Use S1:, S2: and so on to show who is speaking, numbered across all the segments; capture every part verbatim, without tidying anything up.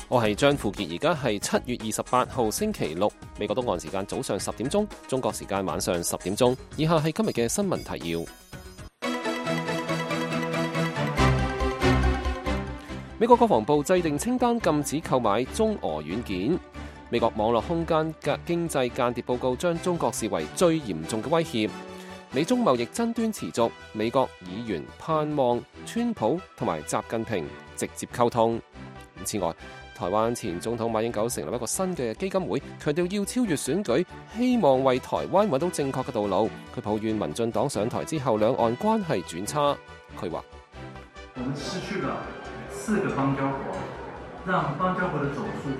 S1: 我係張富傑，而家係七月二十八號星期六，美國東岸時間早上十點鐘，中國時間晚上十點鐘。以下係今日嘅新聞提要。美國國防部制定清單禁止購買中俄軟件。美國網絡空間嘅經濟間諜報告將中國視為最嚴重嘅威脅。美中貿易爭端持續，美國議員盼望川普同埋習近平直接溝通。此外，台灣前總統馬英九成立一個新嘅基金會，強調要超越選舉，希望為台灣揾到正確嘅道路。佢抱怨民進黨上台之後，兩岸關係轉差。佢話：
S2: 我們失去了四個邦交國，讓邦交國的總數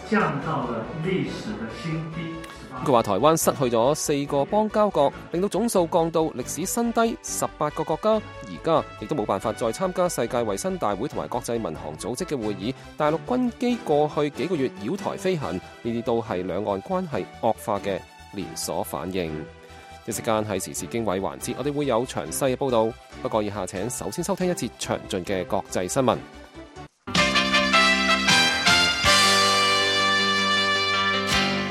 S2: 降到了歷史的新低。
S1: 佢話台灣失去咗四個邦交國，令到總數降到歷史新低，十八個國家而家亦都冇辦法再參加世界衛生大會同埋國際民航組織嘅會議。大陸軍機過去幾個月繞台飛行，呢啲都係兩岸關係惡化嘅連鎖反應。一時間係時事經緯環節，我哋會有詳細嘅報導。不過以下請首先收聽一節詳盡嘅國際新聞。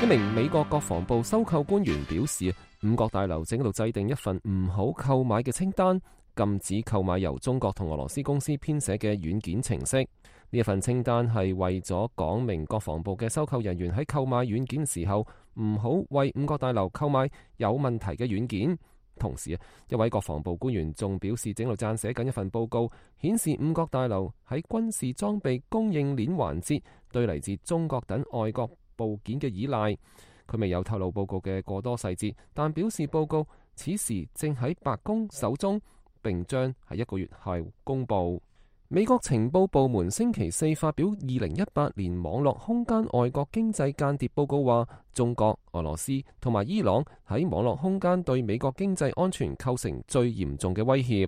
S1: 一名美國國防部收購官員表示，五角大樓正喺度制定一份唔好購買嘅清單，禁止購買由中國同俄羅斯公司編寫嘅軟件程式。呢一份清單係為咗講明國防部嘅收購人員喺購買軟件時候唔好為五角大樓購買有問題嘅軟件。同時，一位國防部官員仲表示，正喺度撰寫緊一份報告，顯示五角大樓喺軍事裝備供應鏈環節對嚟自中國等外國部件嘅依賴。佢未有透露報告嘅過多細節，但表示報告此時正喺白宮手中，並將喺一個月後公佈。美國情報部門星期四發表二零一八年網絡空間外國經濟間諜報告，話中國、俄羅斯同埋伊朗喺網絡空間對美國經濟安全構成最嚴重嘅威脅。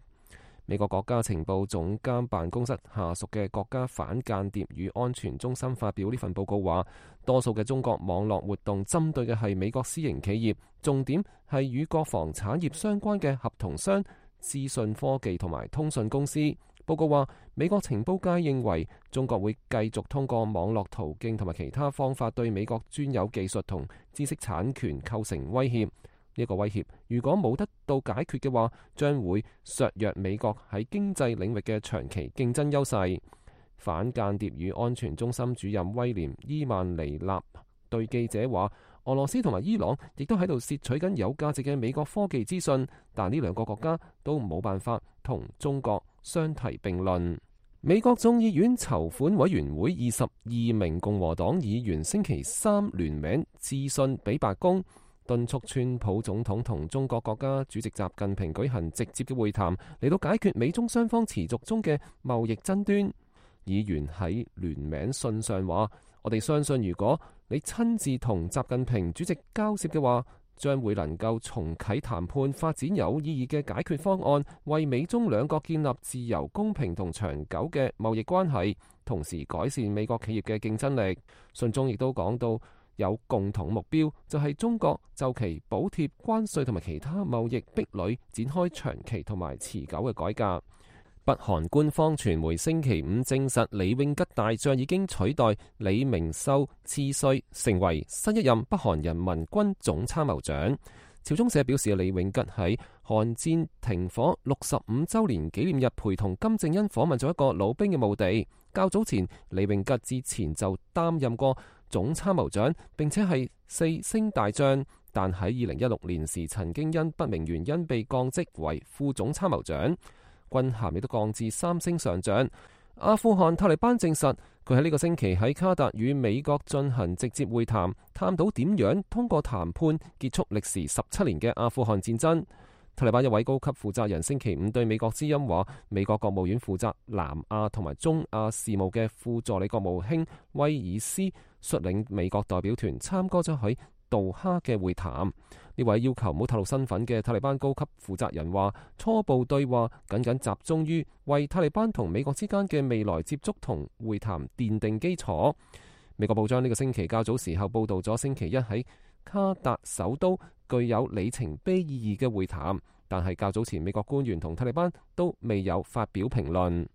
S1: 美國國家情報總監辦公室下屬嘅國家反間諜與安全中心發表呢份報告，話多數嘅中國網絡活動針對嘅係美國私營企業，重點係與國防產業相關嘅合同商、資訊科技同埋通訊公司。報告話，美國情報界認為中國會繼續通過網絡途徑同埋其他方法對美國專有技術同知識產權構成威脅。呢個威脅如果冇得到解決嘅話，將會削弱美國喺經濟領域嘅長期競爭優勢。反間諜與安全中心主任威廉伊曼尼納對記者話，俄羅斯同埋伊朗亦都喺度竊取緊有價值嘅美國科技資訊，但呢兩個國家都冇辦法同中國相提並論。美國眾議院籌款委員會二十二名共和黨議員星期三聯名致信俾白宮，敦促川普總統同中國國家主席習近平舉行直接嘅會談，嚟到解決美中雙方持續中嘅貿易爭端。議員喺聯名信上話：我哋相信，如果你親自同習近平主席交涉嘅話，將會能夠重啟談判，發展有意義嘅解決方案，為美中兩國建立自由、公平同長久嘅貿易關係，同時改善美國企業嘅競爭力。信中亦都講到，有共同目標，就係中國就其補貼、關稅同埋其他貿易壁壘展開長期同埋持久嘅改革。北韓官方傳媒星期五證實，李永吉大將已經取代李明秀次帥，成為新一任北韓人民軍總參謀長。朝中社表示，李永吉喺韓戰停火六十五週年紀念日陪同金正恩訪問咗一個老兵嘅墓地。較早前，李永吉之前就擔任過總參謀長，並且係四星大將，但喺二零一六年時曾經因不明原因被降職為副總參謀長，軍銜亦都降至三星上將。阿富汗塔利班證實，佢喺呢個星期喺卡達與美國進行直接會談，探討點樣通過談判結束歷時十七年嘅阿富汗戰爭。塔利班一位高級負責人星期五對美國之音話，美國國務院負責南亞同埋中亞事務嘅副助理國務卿威爾斯率領美國代表團參加咗喺杜哈嘅會談。呢位要求唔好透露身份嘅塔利班高級負責人話，初步對話僅僅集中於為塔利班同美國之間嘅未來接觸同會談奠定基礎。美國報章呢個星期較早時候報道咗星期一喺卡達首都具有里程碑意義嘅會談，但係較早前美國官員同塔利班都未有發表評論。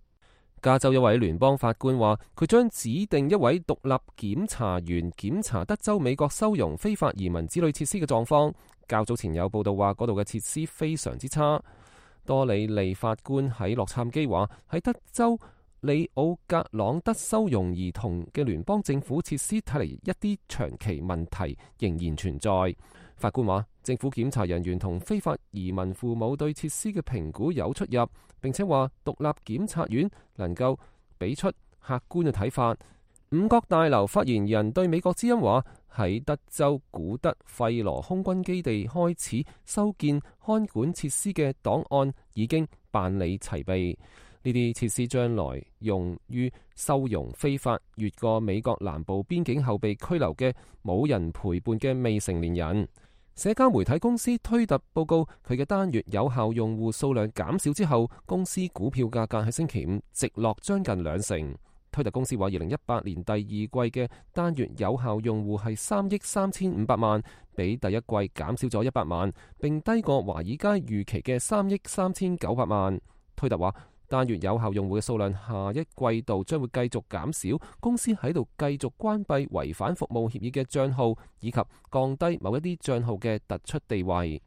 S1: 加州一位聯邦法官話，佢將指定一位獨立檢查員檢查德州美國收容非法移民子女設施嘅狀況。較早前有報道話，嗰度嘅設施非常之差。多里利法官喺洛杉磯話，喺德州里奧格朗德收容兒童嘅聯邦政府設施睇嚟，一啲長期問題仍然存在。法官話，政府檢查人員同非法移民父母對設施嘅評估有出入，並且話獨立檢察院能夠俾出客觀嘅睇法。五角大樓發言人對美國之音話，喺德州古德費羅空軍基地開始修建看管設施嘅檔案已經辦理齊備，呢啲設施將來用於收容非法越過美國南部邊境後被拘留嘅冇人陪伴嘅未成年人。社交媒體公司推特報告，佢嘅單月有效用戶數量減少之後，公司股票價格喺星期五直落將近兩成。推特公司話，二零一八年第二季嘅單月有效用戶係三億三千五百萬，比第一季減少咗一百萬，並低過華爾街預期嘅三億三千九百萬。推特話，單月有效用戶嘅數量下一季度將會繼續減少，公司喺度繼續關閉違反服務協議嘅帳號，以及降低某一啲帳號嘅突出地位。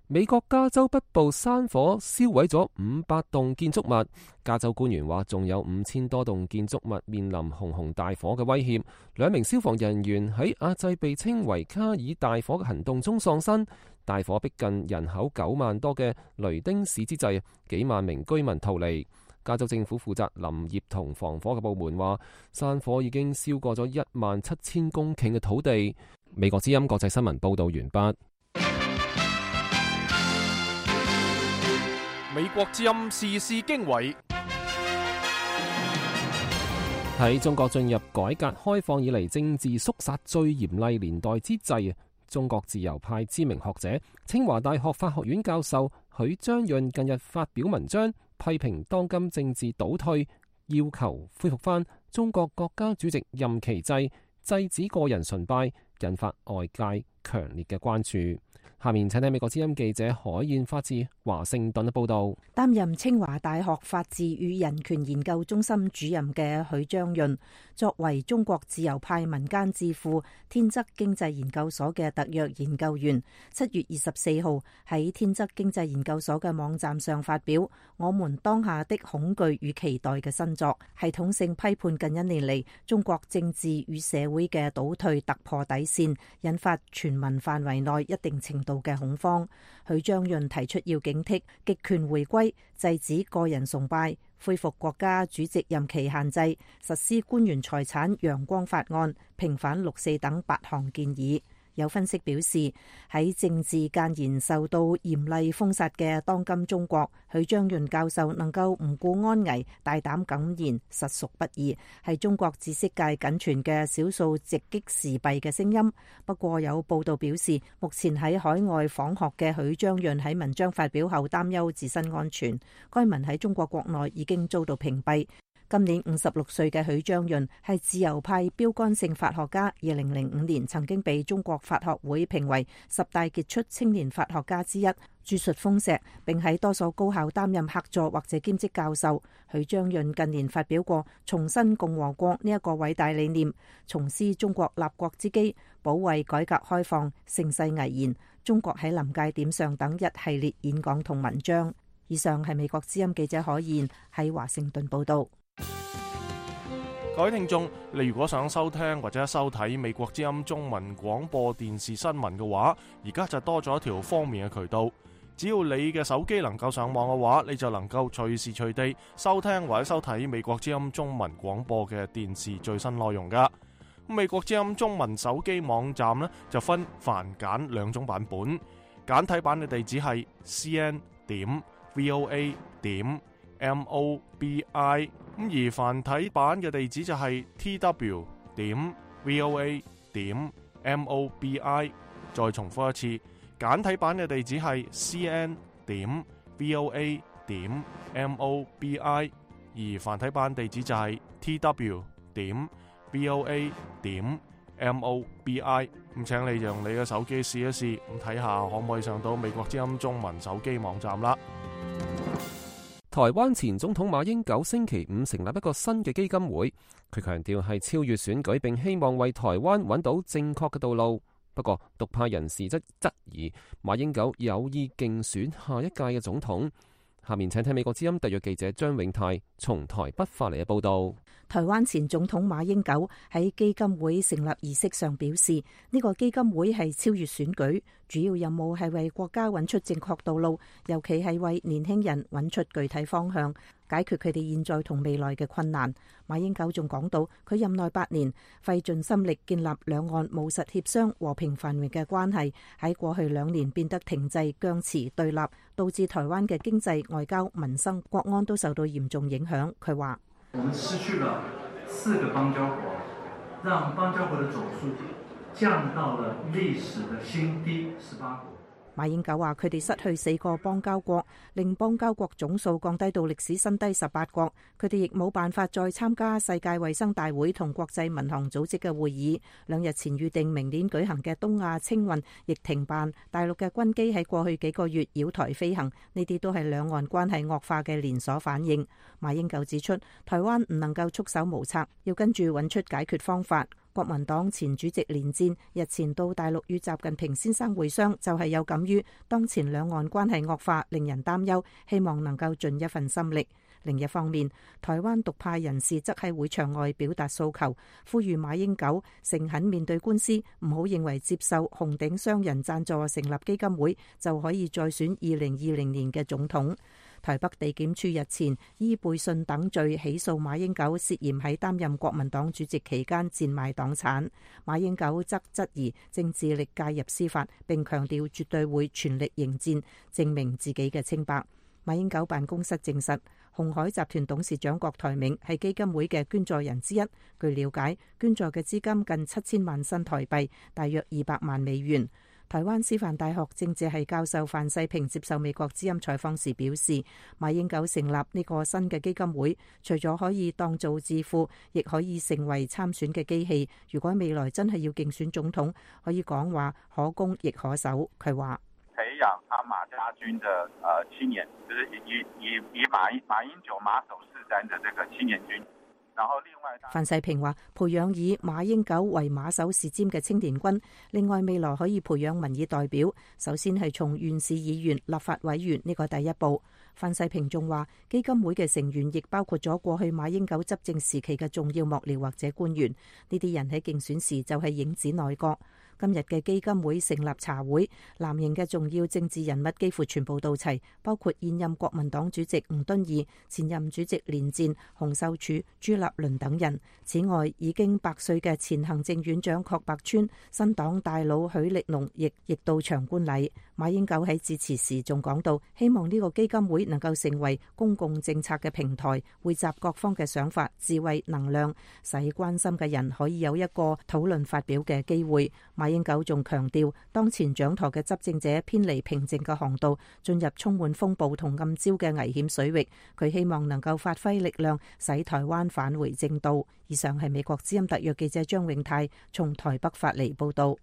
S1: 美國加州北部山火燒毀咗五百棟建築物，加州官員話仲有五千多棟建築物面臨熊熊大火嘅威脅。兩名消防人員喺壓制被稱為卡爾大火嘅行動中喪生。大火逼近人口九萬多嘅雷丁市之際，幾萬名居民逃離。加州政府負責林業同防火嘅部門話，山火已經燒過咗一萬七千公頃嘅土地。美國之音國際新聞報道完畢。
S3: 美國之音時事經緯。
S1: 喺中國進入改革開放以嚟政治肅殺最嚴厲年代之際，中國自由派知名學者、清華大學法學院教授許章潤近日發表文章，批評當今政治倒退，要求恢復翻中國國家主席任期制，制止個人崇拜，引發外界強烈嘅關注。下面請睇美國之音記者海燕發自華盛頓嘅報道。
S4: 擔任清華大學法治與人權研究中心主任嘅許章潤，作為中國自由派民間智庫天則經濟研究所嘅特約研究員，七月二十四號喺天則經濟研究所嘅網站上發表《我們當下的恐懼與期待》嘅新作，系統性批判近一年嚟中國政治與社會嘅倒退突破底線，引發全民範圍內一定程度嘅恐慌。許章潤提出要警惕極權回歸、制止個人崇拜、恢復國家主席任期限制、實施官員財產陽光法案、平反六四等八項建議。有分析表示，喺政治間言受到嚴厲封殺嘅當今中國，許章潤教授能夠唔顧安危，大膽敢言，實屬不易，係中國知識界僅存嘅少數直擊時弊嘅聲音。不過有報道表示，目前喺海外訪學嘅許章潤喺文章發表後擔憂自身安全，該文喺中國國內已經遭到屏蔽。今年五十六歲嘅許章潤係自由派標杆性法學家，二零零五年曾經被中國法學會評為十大傑出青年法學家之一，著述豐碩，並喺多所高校擔任客座或者兼職教授。許章潤近年發表過重申共和國呢一個偉大理念、重施中國立國之基、保衛改革開放、盛世危言、中國喺臨界點上等一系列演講同文章。以上係美國之音記者海燕喺華盛頓報道。
S3: 各位聽眾，你如果想收聽或者收睇美國之音中文廣播電視新聞嘅話，而家就多咗一條方便嘅渠道。只要你嘅手機能夠上網嘅話，你就能夠隨時隨地收聽或者收睇美國之音中文廣播嘅電視最新內容噶。美國之音中文手機網站呢，就分繁簡兩種版本，簡體版嘅地址係 c n 點 v o a 點 m o b i。咁而繁體版嘅地址就係 t w 點 v o a 點 m o b i。再重複一次，簡體版嘅地址係 c n 點 v o a 點 m o b i， 而繁體版地址就係 t w 點 v o a 點 m o b i。咁請你用你嘅手機試一試，咁睇下可唔可以上到美國之音中文手機網站啦。
S1: 台灣前總統馬英九星期五成立一個新嘅基金會，佢強調係超越選舉，並希望為台灣揾到正確嘅道路。不過，獨派人士則質疑馬英九有意競選下一屆嘅總統。下面請聽美國之音特約記者張永泰從台北發嚟嘅報道。
S4: 台灣前總統馬英九喺基金會成立儀式上表示，呢個基金會係超越選舉，主要任務係為國家揾出正確道路，尤其係為年輕人揾出具體方向，解決佢哋現在同未來嘅困難。馬英九仲講到，佢任內八年費盡心力建立兩岸務實協商、和平繁榮嘅關係，喺過去兩年變得停滯、僵持、對立，導致台灣嘅經濟、外交、民生、國安都受到嚴重影響。佢話：
S2: 我們失去了四個邦交國，讓邦交國的總數降到了歷史的新低十八國。
S4: 馬英九話：佢哋失去四個邦交國，令邦交國總數降低到歷史新低十八國。佢哋亦冇辦法再參加世界衛生大會同國際民航組織嘅會議。兩日前預定明年舉行嘅東亞青運亦停辦。大陸嘅軍機喺過去幾個月繞台飛行，呢啲都係兩岸關係惡化嘅連鎖反應。馬英九指出，台灣唔能夠束手無策，要跟住揾出解決方法。國民黨前主席連戰日前到大陸與習近平先生會商，就係有感於當前兩岸關係惡化，令人擔憂，希望能夠盡一份心力。另一方面，台灣獨派人士則喺會場外表達訴求，呼籲馬英九誠懇面對官司，唔好認為接受紅頂商人贊助成立基金會就可以再選二零二零年嘅總統。台北地檢署日前依背信等罪起訴馬英九，涉嫌喺擔任國民黨主席期間賤賣黨產。馬英九則質疑正致力介入司法，並強調絕對會全力迎戰，證明自己嘅清白。馬英九辦公室證實，鴻海集團董事長郭台銘係基金會嘅捐助人之一。據了解，捐助嘅資金近七千萬新台幣，大約二百萬美元。台灣師範大學政治系教授范世平接受美國之音採訪時表示，馬英九成立呢個新嘅基金會，除咗可以當做智庫，亦可以成為參選嘅機器。如果未來真係要競選總統，可以講話可攻亦可守。佢話：
S5: 培養阿馬家軍的呃青年，就是以以以馬英馬英九馬首是瞻的這個青年軍。然後另外，
S4: 范世平話，培養以馬英九為馬首是瞻嘅青年軍，另外未來可以培養民意代表，首先係從縣市議員、立法委員呢個第一步。范世平仲話，基金會嘅成員亦包括咗過去馬英九執政時期嘅重要幕僚或者官員，呢啲人喺競選時就係影子內閣。今日嘅基金會成立茶會，藍營嘅重要政治人物幾乎全部到齊，包括現任國民黨主席吳敦義、前任主席連戰、洪秀柱、朱立倫等人。此外，已經百歲嘅前行政院長郝柏村、新黨大佬許力龍亦亦到場觀禮。馬英九喺致辭時仲講到，希望呢個基金會能夠成為公共政策嘅平台，匯集各方嘅想法、智慧、能量，使關心嘅人可以有一個討論發表嘅機會。馬英九仲強調，當前掌舵嘅執政者偏離平靜嘅航道，進入充滿風暴同暗礁嘅危險水域。佢希望能夠發揮力量，使台灣返回正道。以上係美國之音特約記者張永泰從台北發嚟報道。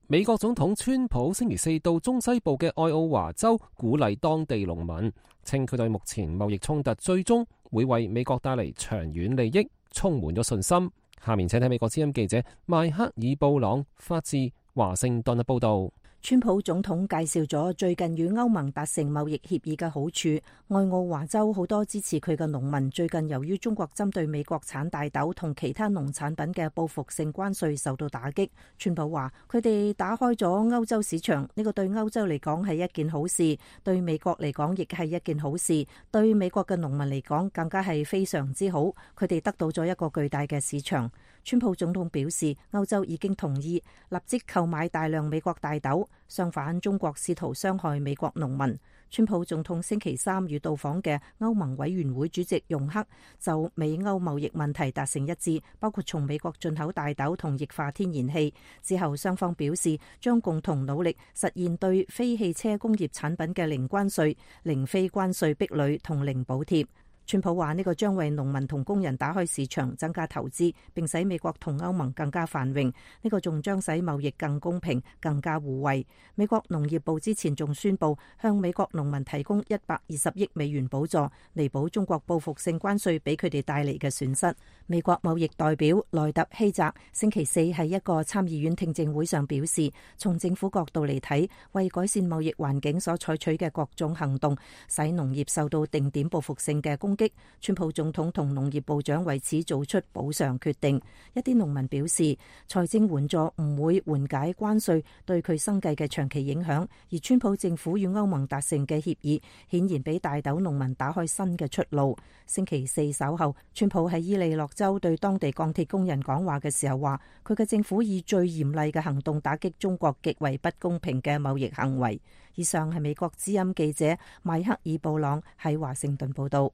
S1: 美國總統川普星期四到中西部嘅愛奧華州，鼓勵當地農民，稱佢對目前貿易衝突最終會為美國帶嚟長遠利益充滿咗信心。下面請睇美國之音記者邁克爾布朗發自華盛頓嘅報道。
S4: 川普總統介紹咗最近與歐盟達成貿易協議嘅好處。愛奧華州好多支持佢嘅農民最近由於中國針對美國產大豆同其他農產品嘅報復性關稅受到打擊。川普話佢哋打開咗歐洲市場，呢個對歐洲嚟講係一件好事，對美國嚟講亦係一件好事，對美國嘅農民嚟講更加係非常之好。佢哋得到咗一個巨大嘅市場。川普總統表示，歐洲已經同意立即購買大量美國大豆，相反中國試圖傷害美國農民。川普總統星期三與到訪嘅歐盟委員會主席容克就美歐貿易問題達成一致，包括從美國進口大豆同液化天然氣。之後雙方表示將共同努力實現對非汽車工業產品嘅零關稅、零非關稅壁壘同零補貼。川普話呢個將為農民同工人打開市場，增加投資，並使美國同歐盟更加繁榮。呢個仲將使貿易更公平、更加互惠。美國農業部之前仲宣布向美國農民提供一百二十億美元補助，彌補中國報復性關稅俾佢哋帶嚟嘅損失。美國貿易代表萊特希澤星期四喺一個參議院聽證會上表示，從政府角度嚟睇，為改善貿易環境所採取嘅各種行動，使農業受到定點報復性嘅攻擊。川普總統同農業部長為此做出補償決定。一啲農民表示，財政援助唔會緩解關稅對佢生計嘅長期影響，而川普政府與歐盟達成嘅協議顯然俾大豆農民打開新嘅出路。星期四稍後，川普喺伊利諾州對當地鋼鐵工人講話嘅時候話，佢嘅政府以最嚴厲嘅行動打擊中國極為不公平嘅貿易行為。以上係美國之音記者邁克爾布朗喺華盛頓報道。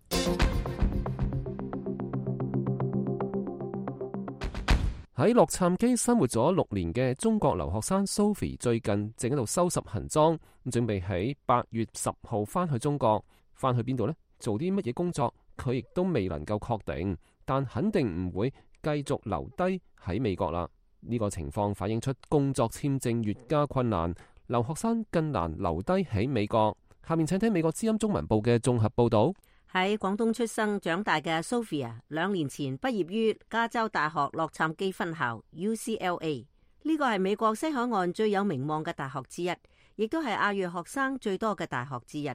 S1: 喺洛杉磯生活咗六年嘅中國留學生 Sophie 最近正喺度收拾行裝，咁準備喺八月十號翻去中國。翻去邊度呢？做啲乜嘢工作？佢亦都未能夠確定，但肯定唔會繼續留低喺美國啦。呢個情況反映出工作簽證越加困難，留學生更難留低喺美國。下面請聽美國之音中文部嘅綜合報道。
S6: 喺廣東出生長大嘅 Sophia 兩年前畢業於加州大學洛杉磯分校 U C L A， 呢個係美國西海岸最有名望嘅大學之一，亦都係亞裔學生最多嘅大學之一。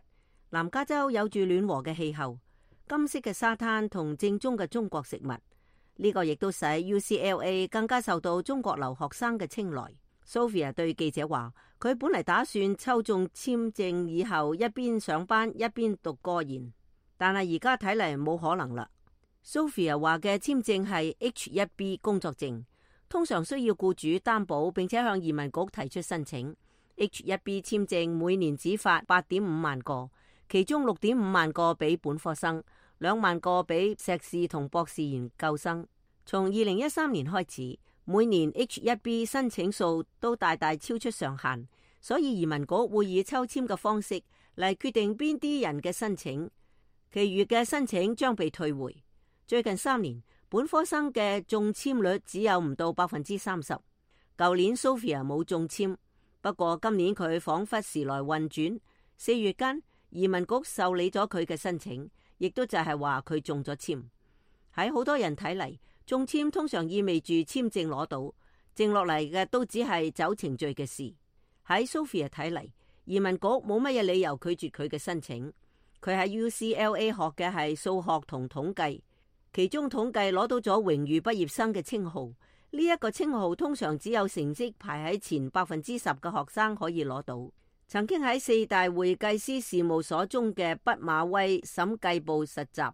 S6: 南加州有住暖和嘅氣候、金色嘅沙灘同正宗嘅中國食物，呢個亦都使 U C L A 更加受到中國留學生嘅青睞。Sophia 對記者話，佢本嚟打算抽中簽證以後一邊上班一邊讀個研，但係而家睇嚟冇可能啦。Sophia 話嘅簽證係 H 一 B 工作證，通常需要僱主擔保並且向移民局提出申請。H 一 B 簽證每年只發八點五萬個，其中六點五萬個俾本科生，兩萬個俾碩士同博士研究生。從二零一三年開始，每年 H 一 B 申請數都大大超出上限，所以移民局會以抽籤嘅方式嚟決定邊啲人嘅申請。其餘嘅申請將被退回。最近三年，本科生嘅中簽率只有唔到百分之三十。舊年 Sophia 冇中簽，不過今年佢仿佛時來運轉。四月間，移民局受理咗佢嘅申請，亦都就係話佢中咗簽。喺好多人睇嚟，中簽通常意味住簽證攞到，剩落嚟嘅都只係走程序嘅事。喺 Sophia 睇嚟，移民局冇乜嘢理由拒絕佢嘅申請。佢喺 U C L A 學嘅係數學同統計，其中統計攞到咗榮譽畢業生嘅稱號。呢一個稱號通常只有成績排喺前百分之十嘅學生可以攞到。曾經喺四大會計師事務所中嘅畢馬威審計部實習，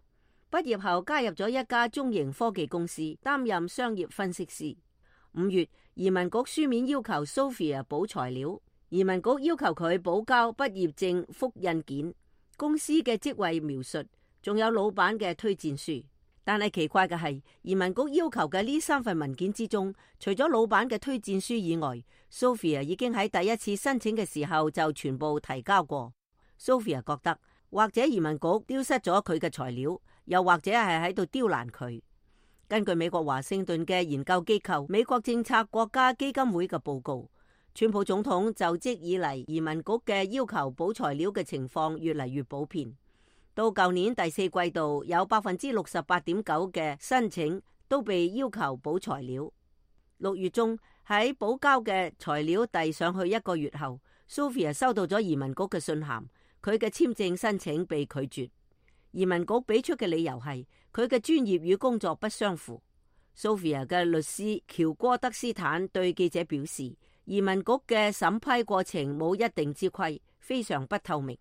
S6: 畢業後加入咗一家中型科技公司，擔任商業分析師。五月，移民局書面要求 Sophia 補材料，移民局要求佢補交畢業證複印件、公司嘅職位描述，仲有老闆嘅推薦書。但係奇怪嘅係，移民局要求嘅呢三份文件之中，除咗老闆嘅推薦書以外， Sophia 已經喺第一次申請嘅時候就全部提交過。Sophia 覺得，或者移民局丟失咗佢嘅材料，又或者係喺度刁難佢。根據美國華盛頓嘅研究機構美國政策國家基金會嘅報告，川普總統就職以嚟，移民局嘅要求補材料嘅情況越嚟越普遍。到舊年第四季度，有百分之六十八點九嘅申請都被要求補材料。六月中喺補交嘅材料遞上去一個月後， Sophia 收到咗移民局嘅信函，佢嘅簽證申請被拒絕。移民局俾出嘅理由係佢嘅專業與工作不相符。Sophia 嘅律師喬戈德斯坦對記者表示，移民局嘅審批過程冇一定之規，非常不透明。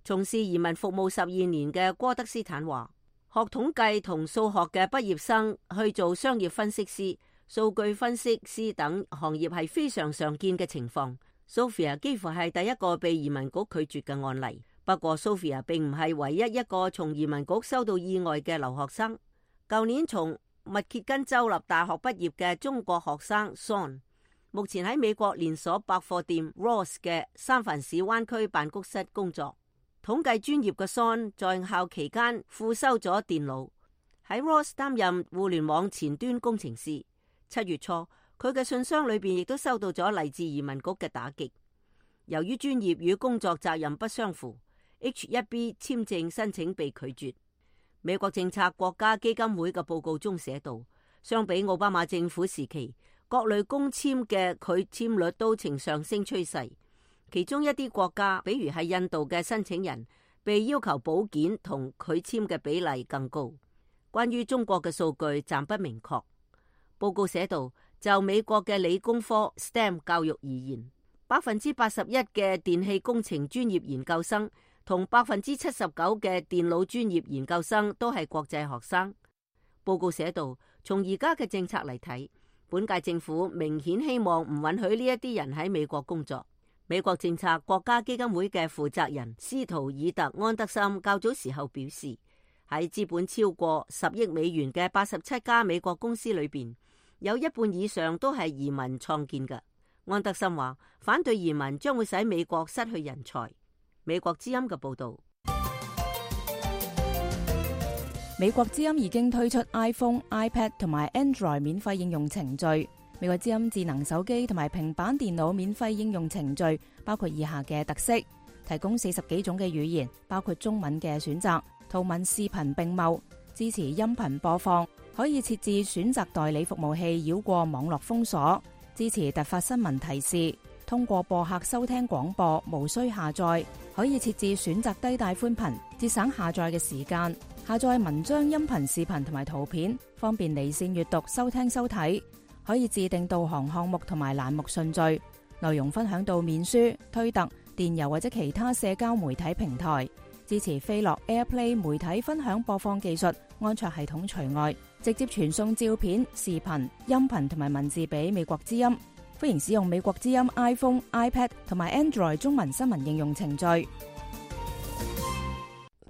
S6: 從事移民服務十二年嘅戈德斯坦話，學統計同數學嘅畢業生去做商業分析師、數據分析師等行業係非常常見嘅情況。Sophia 幾乎係第一個被移民局拒絕嘅案例。不過 Sophia 並唔係唯一一個從移民局收到意外嘅留學生。舊年從密歇根州立大學畢業嘅中國學生 Son， 目前喺美國連鎖百貨店 Ross 嘅三藩市灣區辦公室工作。統計專業嘅 Son 在校期間副修咗電腦，喺 Ross 擔任互聯網前端工程師。七月初，佢嘅信箱裏邊亦都收到咗嚟自移民局嘅打擊。由於專業與工作責任不相符， H 一 B 簽證申請被拒絕。美國政策國家基金會嘅報告中寫道，相比奧巴馬政府時期，各類工簽嘅拒簽率都呈上升趨勢。其中一啲國家，比如係印度嘅申請人，被要求保件同拒簽嘅比例更高。關於中國嘅數據暫不明確。報告寫道，就美國嘅理工科 S T E M 教育而言，百分之八十一嘅電氣工程專業研究生同百分之七十九嘅電腦專業研究生都係國際學生。報告寫道，從而家嘅政策嚟睇，本屆政府明顯希望唔允許呢一啲人喺美國工作。美國政策國家基金會嘅負責人斯圖爾特安德森較早時候表示，喺資本超過十億美元嘅八十七家美國公司裏邊，有一半以上都係移民創建嘅。安德森話，反對移民將會使美國失去人才。美國之音嘅報道。
S7: 美國之音已經推出 iPhone、iPad 同埋 Android 免費應用程序。美國之音智能手機同埋平板電腦免費應用程序包括以下嘅特色：提供四十幾種嘅語言，包括中文嘅選擇，圖文視頻並茂，支持音頻播放，可以設置選擇代理服務器繞過網絡封鎖，支持突發新聞提示，通過播客收聽廣播，無需下載，可以設置選擇低帶寬頻，節省下載嘅時間，下載文章、音頻、視頻同埋圖片，方便離線閱讀、收聽、收睇。可以自定導航項目同埋欄目順序，內容分享到面書、推特、電郵或者其他社交媒體平台，支持飛樂 AirPlay 媒體分享播放技術，安卓系統除外，直接傳送照片、視頻、音頻同埋文字俾美國之音。歡迎使用美國之音 iPhone、iPad 同埋 Android 中文新聞應用程序。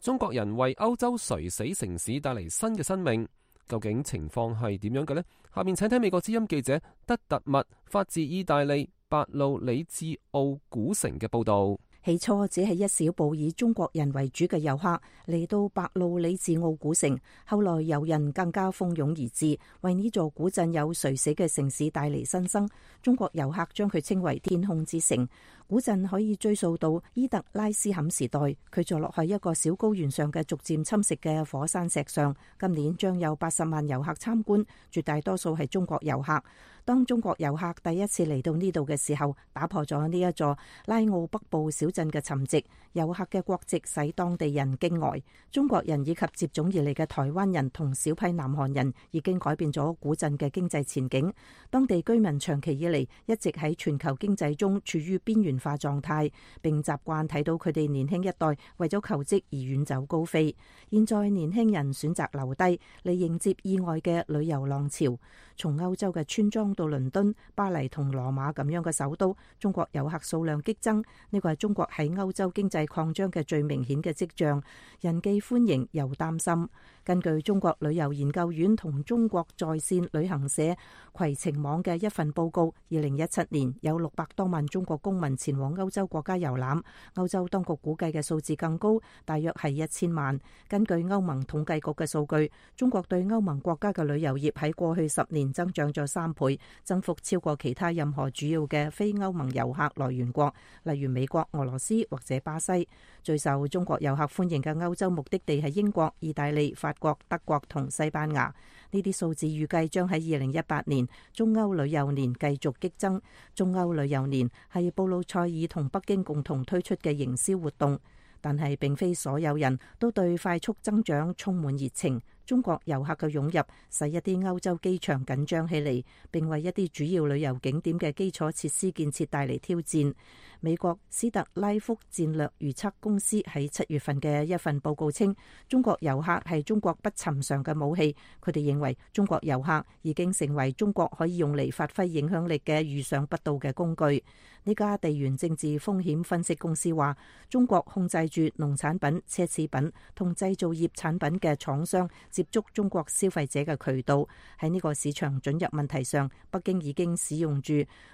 S1: 中國人為歐洲垂死城市帶嚟新嘅生命。究竟情況係點樣嘅呢？下面請聽美國之音記者德特密發自意大利白路里治奧古城嘅報道。
S4: 起初只係一小部以中國人為主嘅遊客嚟到白路里治奧古城，後來遊人更加蜂擁而至，為呢座古鎮有垂死嘅城市帶嚟新生。中國遊客將佢稱為天空之城。古鎮可以追溯到伊特拉斯坎時代，佢坐落喺一個小高原上嘅逐漸侵蝕嘅火山石上。今年將有八十萬遊客參觀，絕大多數係中國遊客。當中國遊客第一次嚟到呢度嘅時候，打破咗呢一座拉奧北部小鎮嘅沉寂。遊客嘅國籍使當地人驚呆。中國人以及接踵而嚟嘅台灣人同小批南韓人已經改變咗古鎮嘅經濟前景。當地居民長期以嚟一直喺全球經濟中處於邊緣化狀態，並習慣睇到佢哋年輕一代為咗求職而遠走高飛。現在年輕人選擇留低嚟迎接意外嘅旅遊浪潮。從歐洲嘅村莊到倫敦、巴黎同羅馬咁樣嘅首都，中國遊客數量激增。呢個係中國喺歐洲經濟擴張嘅最明顯嘅跡象，人既歡迎又擔心。根據中國旅遊研究院同中國在線旅行社攜程網嘅一份報告，二零一七年有六百多萬中國公民前往歐洲國家遊覽，歐洲當局估計嘅數字更高，大約係一千萬。根據歐盟統計局嘅數據，中國對歐盟國家嘅旅遊業喺過去十年增長咗三倍，增幅超過其他任何主要嘅非歐盟遊客來源國，例如美國、俄羅斯或者巴西。最受中國遊客歡迎嘅歐洲目的地係英國、意大利、法國、德國同西班牙。呢啲數字預計將喺二零一八年中歐旅遊年繼續激增。中歐旅遊年係布魯塞爾同北京共同推出嘅營銷活動，但係並非所有人都對快速增長充滿熱情。中國遊客嘅湧入使一啲歐洲機場緊張起嚟，並為一啲主要旅遊景點嘅基礎設施建設帶嚟挑戰。美國斯特拉福戰略預測公司喺七月份嘅一份報告稱，中國遊客係中國不尋常嘅武器。佢哋認為中國遊客已經成為中國可以用嚟發揮影響力嘅預想不到嘅工具。呢家地緣政治風險分析公司話，中國控制住農產品、奢侈品同製造業產品嘅廠商接觸中國消費者嘅渠道。喺呢個市場准入問題上，北京已經使用住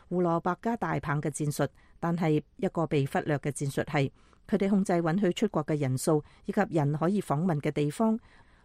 S4: 胡蘿蔔加大棒嘅戰術，但係一個被忽略嘅戰術係，佢哋控制允許出國嘅人數以及人可以訪問嘅地方。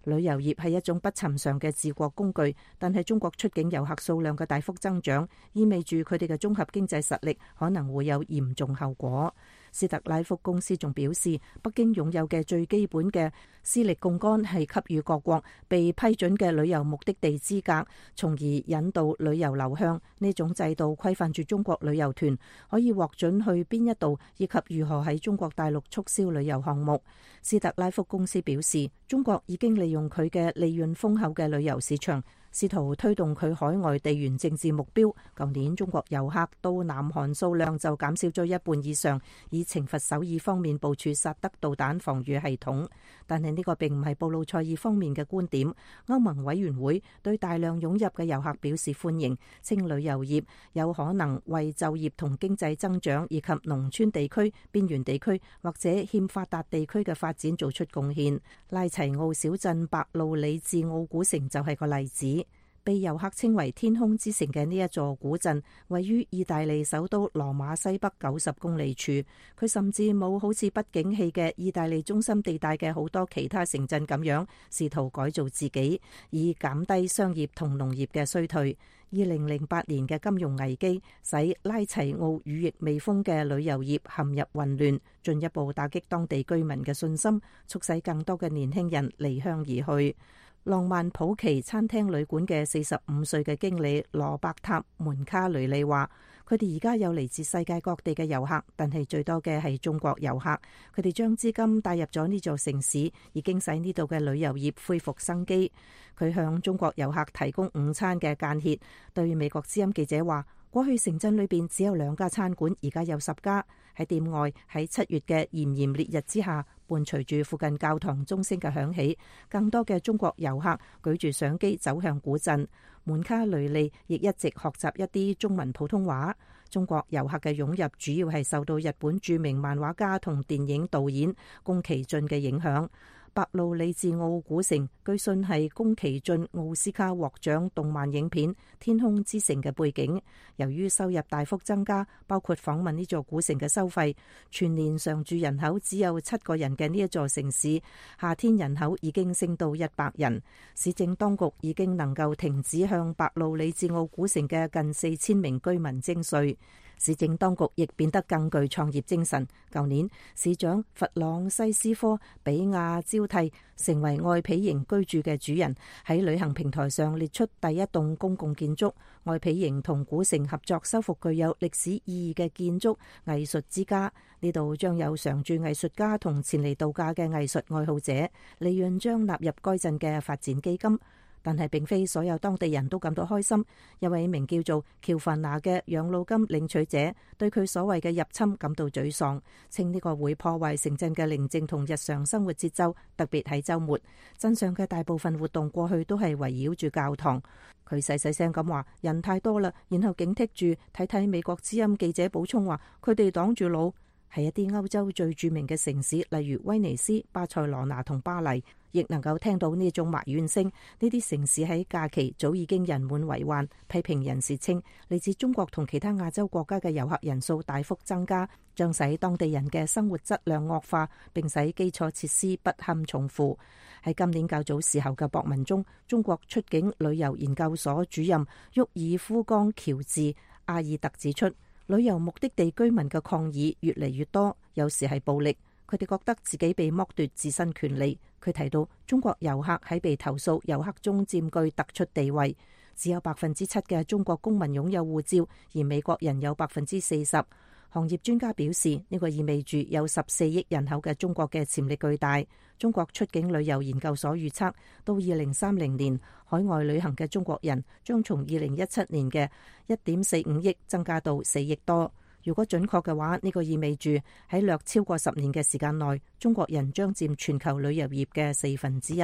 S4: 旅遊業係一種不尋常嘅治國工具，但係中國出境遊客數量嘅大幅增長，意味住佢哋嘅綜合經濟實力可能會有嚴重後果。斯特拉福公司仲表示，北京擁有嘅最基本嘅私力槓桿係給予各國被批准嘅旅遊目的地資格，從而引導旅遊流向。呢種制度規範住中國旅遊團可以獲准去邊一度，以及如何喺中國大陸促銷旅遊項目。斯特拉福公司表示，中國已經利用佢嘅利潤豐厚嘅旅遊市場，試圖推動佢海外地緣政治目標。舊年中國遊客到南韓數量就減少咗一半以上，以懲罰首爾方面部署薩德導彈防禦系統。但係呢個並唔係布魯塞爾方面嘅觀點。歐盟委員會對大量湧入嘅遊客表示歡迎，稱旅遊業有可能為就業同經濟增長以及農村地區、邊緣地區或者欠發達地區嘅發展做出貢獻。拉齊奧小鎮白路里治奧古城就係個例子。被遊客稱為天空之城嘅呢一座古鎮，位於意大利首都羅馬西北九十公里處。佢甚至冇好似不景氣嘅意大利中心地帶嘅好多其他城鎮咁樣，試圖改造自己，以減低商業同農業嘅衰退。二零零八年嘅金融危機使拉齊奧羽翼未豐嘅旅遊業陷入混亂，進一步打擊當地居民嘅信心，促使更多嘅年輕人離鄉而去。浪漫普奇餐廳旅館嘅四十五歲嘅經理羅伯塔門卡雷利話，佢哋而家有嚟自世界各地嘅遊客，但係最多嘅係中國遊客。佢哋將資金帶入咗呢座城市，已經使呢度嘅旅遊業恢復生機。佢向中國遊客提供午餐嘅間歇，對美國之音記者話，過去城鎮裏邊只有兩家餐館，而家有十家。喺店外，喺七月嘅炎炎烈日之下，伴隨住附近教堂鐘聲嘅響起，更多嘅中國遊客舉住相機走向古鎮。門卡雷利亦一直學習一啲中文普通話。中國遊客嘅湧入主要係受到日本著名漫畫家同電影導演宮崎駿嘅影響。白路里治奧古城據信係宮崎駿奧斯卡獲獎動漫影片《天空之城》嘅背景。由於收入大幅增加，包括訪問呢座古城嘅收費，全年常住人口只有七個人嘅呢一座城市，夏天人口已經升到一百人。市政當局已經能夠停止向白路里治奧古城嘅近四千名居民徵稅。市政當局亦變得更具創業精神。舊年，市長弗朗西斯科比亞招替成為愛皮營居住嘅主人，喺旅行平台上列出第一棟公共建築。愛皮營同古城合作修復具有歷史意義嘅建築藝術之家，呢度將有常駐藝術家同前嚟度假嘅藝術愛好者，利潤將納入該鎮嘅發展基金。但係並非所有當地人都感到開心。一位名叫做喬凡娜嘅養老金領取者對佢所謂嘅入侵感到沮喪，稱呢個會破壞城鎮嘅寧靜同日常生活節奏，特別喺週末。鎮上嘅大部分活動過去都係圍繞住教堂。佢細細聲咁話：人太多啦，然後警惕住睇睇美國之音記者補充話，佢哋擋住路。係一啲歐洲最著名嘅城市，例如威尼斯、巴塞羅那同巴黎，亦能夠聽到呢種埋怨聲。呢啲城市喺假期早已經人滿為患。批評人士稱，嚟自中國同其他亞洲國家嘅遊客人數大幅增加，將使當地人嘅生活質量惡化，並使基礎設施不堪重負。喺今年較早時候嘅博文中，中國出境旅遊研究所主任沃爾夫岡喬治阿爾特指出，旅遊目的地居民嘅抗議越嚟越多，有時係暴力，佢哋覺得自己被剝奪自身權利。佢提到，中國遊客喺被投訴遊客中佔據突出地位，只有百分之七嘅中國公民擁有護照，而美國人有百分之四十。行業專家表示，呢個意味住有十四億人口嘅中國嘅潛力巨大。中國出境旅遊研究所預測，到二零三零年，海外旅行嘅中國人將從二零一七年嘅一點四五億增加到四億多。如果準確嘅話，呢個意味住喺略超過十年嘅時間內，中國人將佔全球旅遊業嘅四分之一。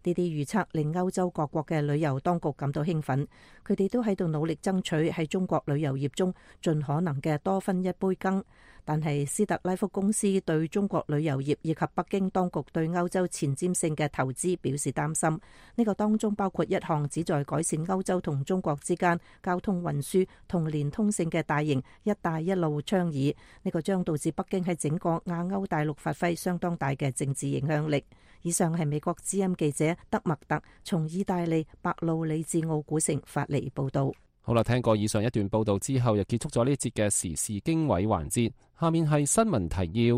S4: 呢啲預測令歐洲各國嘅旅遊當局感到興奮，佢哋都喺度努力爭取喺中國旅遊業中盡可能嘅多分一杯羹。但係斯特拉福公司對中國旅遊業以及北京當局對歐洲前瞻性嘅投資表示擔心。呢個當中包括一項旨在改善歐洲同中國之間交通運輸同連通性嘅大型一帶一路倡議。呢個將導致北京喺整個亞歐大陸發揮相當大嘅政治影響力。以上係美國之音記者德麥特從意大利白路里治奧古城發嚟報道。
S1: 好啦，聽過以上一段報道之後，又結束咗呢一節嘅時事經緯環節。下面係新聞提要。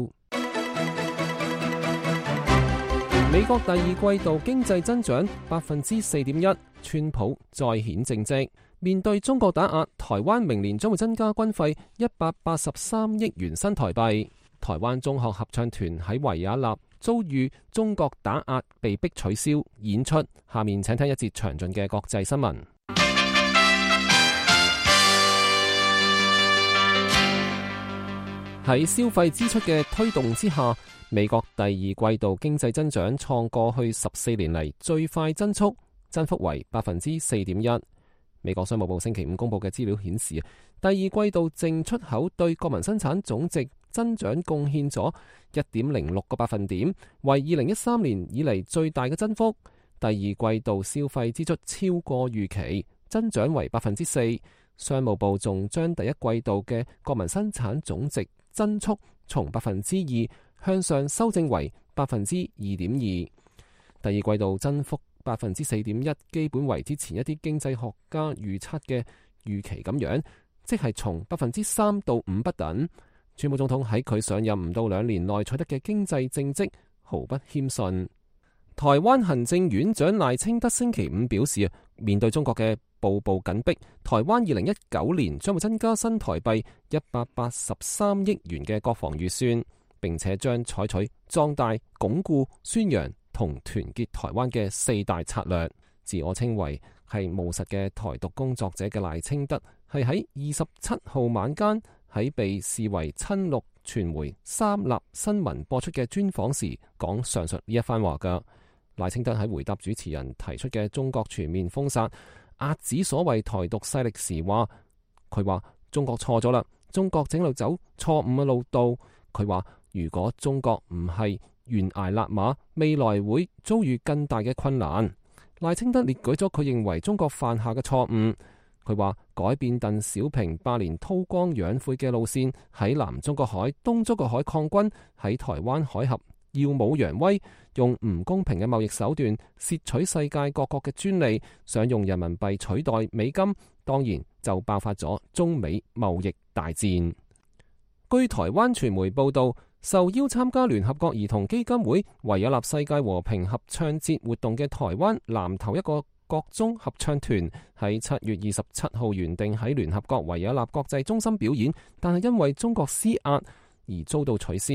S1: 美國第二季度經濟增長百分之四點一，川普再顯政績。面對中國打壓，台灣明年將會增加軍費一百八十三億元新台幣。台灣中學合唱團喺維也納遭遇中國打壓，被迫取消演出。下面請聽一節詳盡嘅國際新聞。喺消費支出嘅推動之下，美國第二季度經濟增長創過去十四年嚟最快增速，增幅為百分之四點一。美國商務部星期五公布嘅資料顯示，第二季度淨出口對國民生產總值增長貢獻咗一點零六個百分點，為二零一三年以嚟最大嘅增幅。第二季度消費支出超過預期，增長為百分之四。商務部仲將第一季度嘅國民生產總值增速從百分之二向上修正為百分之二點二。第二季度增幅百分之四點一，基本為之前一啲經濟學家預測嘅預期咁樣，即係從百分之三到五不等。川普總統喺佢上任唔到兩年內取得嘅經濟政績毫不謙遜。台灣行政院長賴清德星期五表示，面對中國嘅步步緊迫，台灣二零一九年將會增加新台幣一百八十三億元嘅國防預算，並且將採取壯大、鞏固、宣揚同團結台灣嘅四大策略。自我稱為係務實嘅台獨工作者嘅賴清德，係喺二十七號晚間喺被視為親綠傳媒三立新聞播出嘅專訪時講上述呢一番話㗎。賴清德喺回答主持人提出嘅中國全面封殺、壓止所謂台獨勢力時話，佢話中國錯咗啦，中國正路走錯誤嘅路道。佢話如果中國唔係懸崖勒馬，未來會遭遇更大嘅困難。賴清德列舉咗佢認為中國犯下嘅錯誤。佢話改變鄧小平百年韜光養晦嘅路線，喺南中國海、東中國海抗軍，喺台灣海峽耀武揚威，用唔公平嘅貿易手段竊取世界各國嘅專利，想用人民幣取代美金，當然就爆發咗中美貿易大戰。據台灣傳媒報道，受邀參加聯合國兒童基金會維也納世界和平合唱節活動嘅台灣南投一個國中合唱團喺七月二十七號原定喺聯合國維也納國際中心表演，但係因為中國施壓而遭到取消。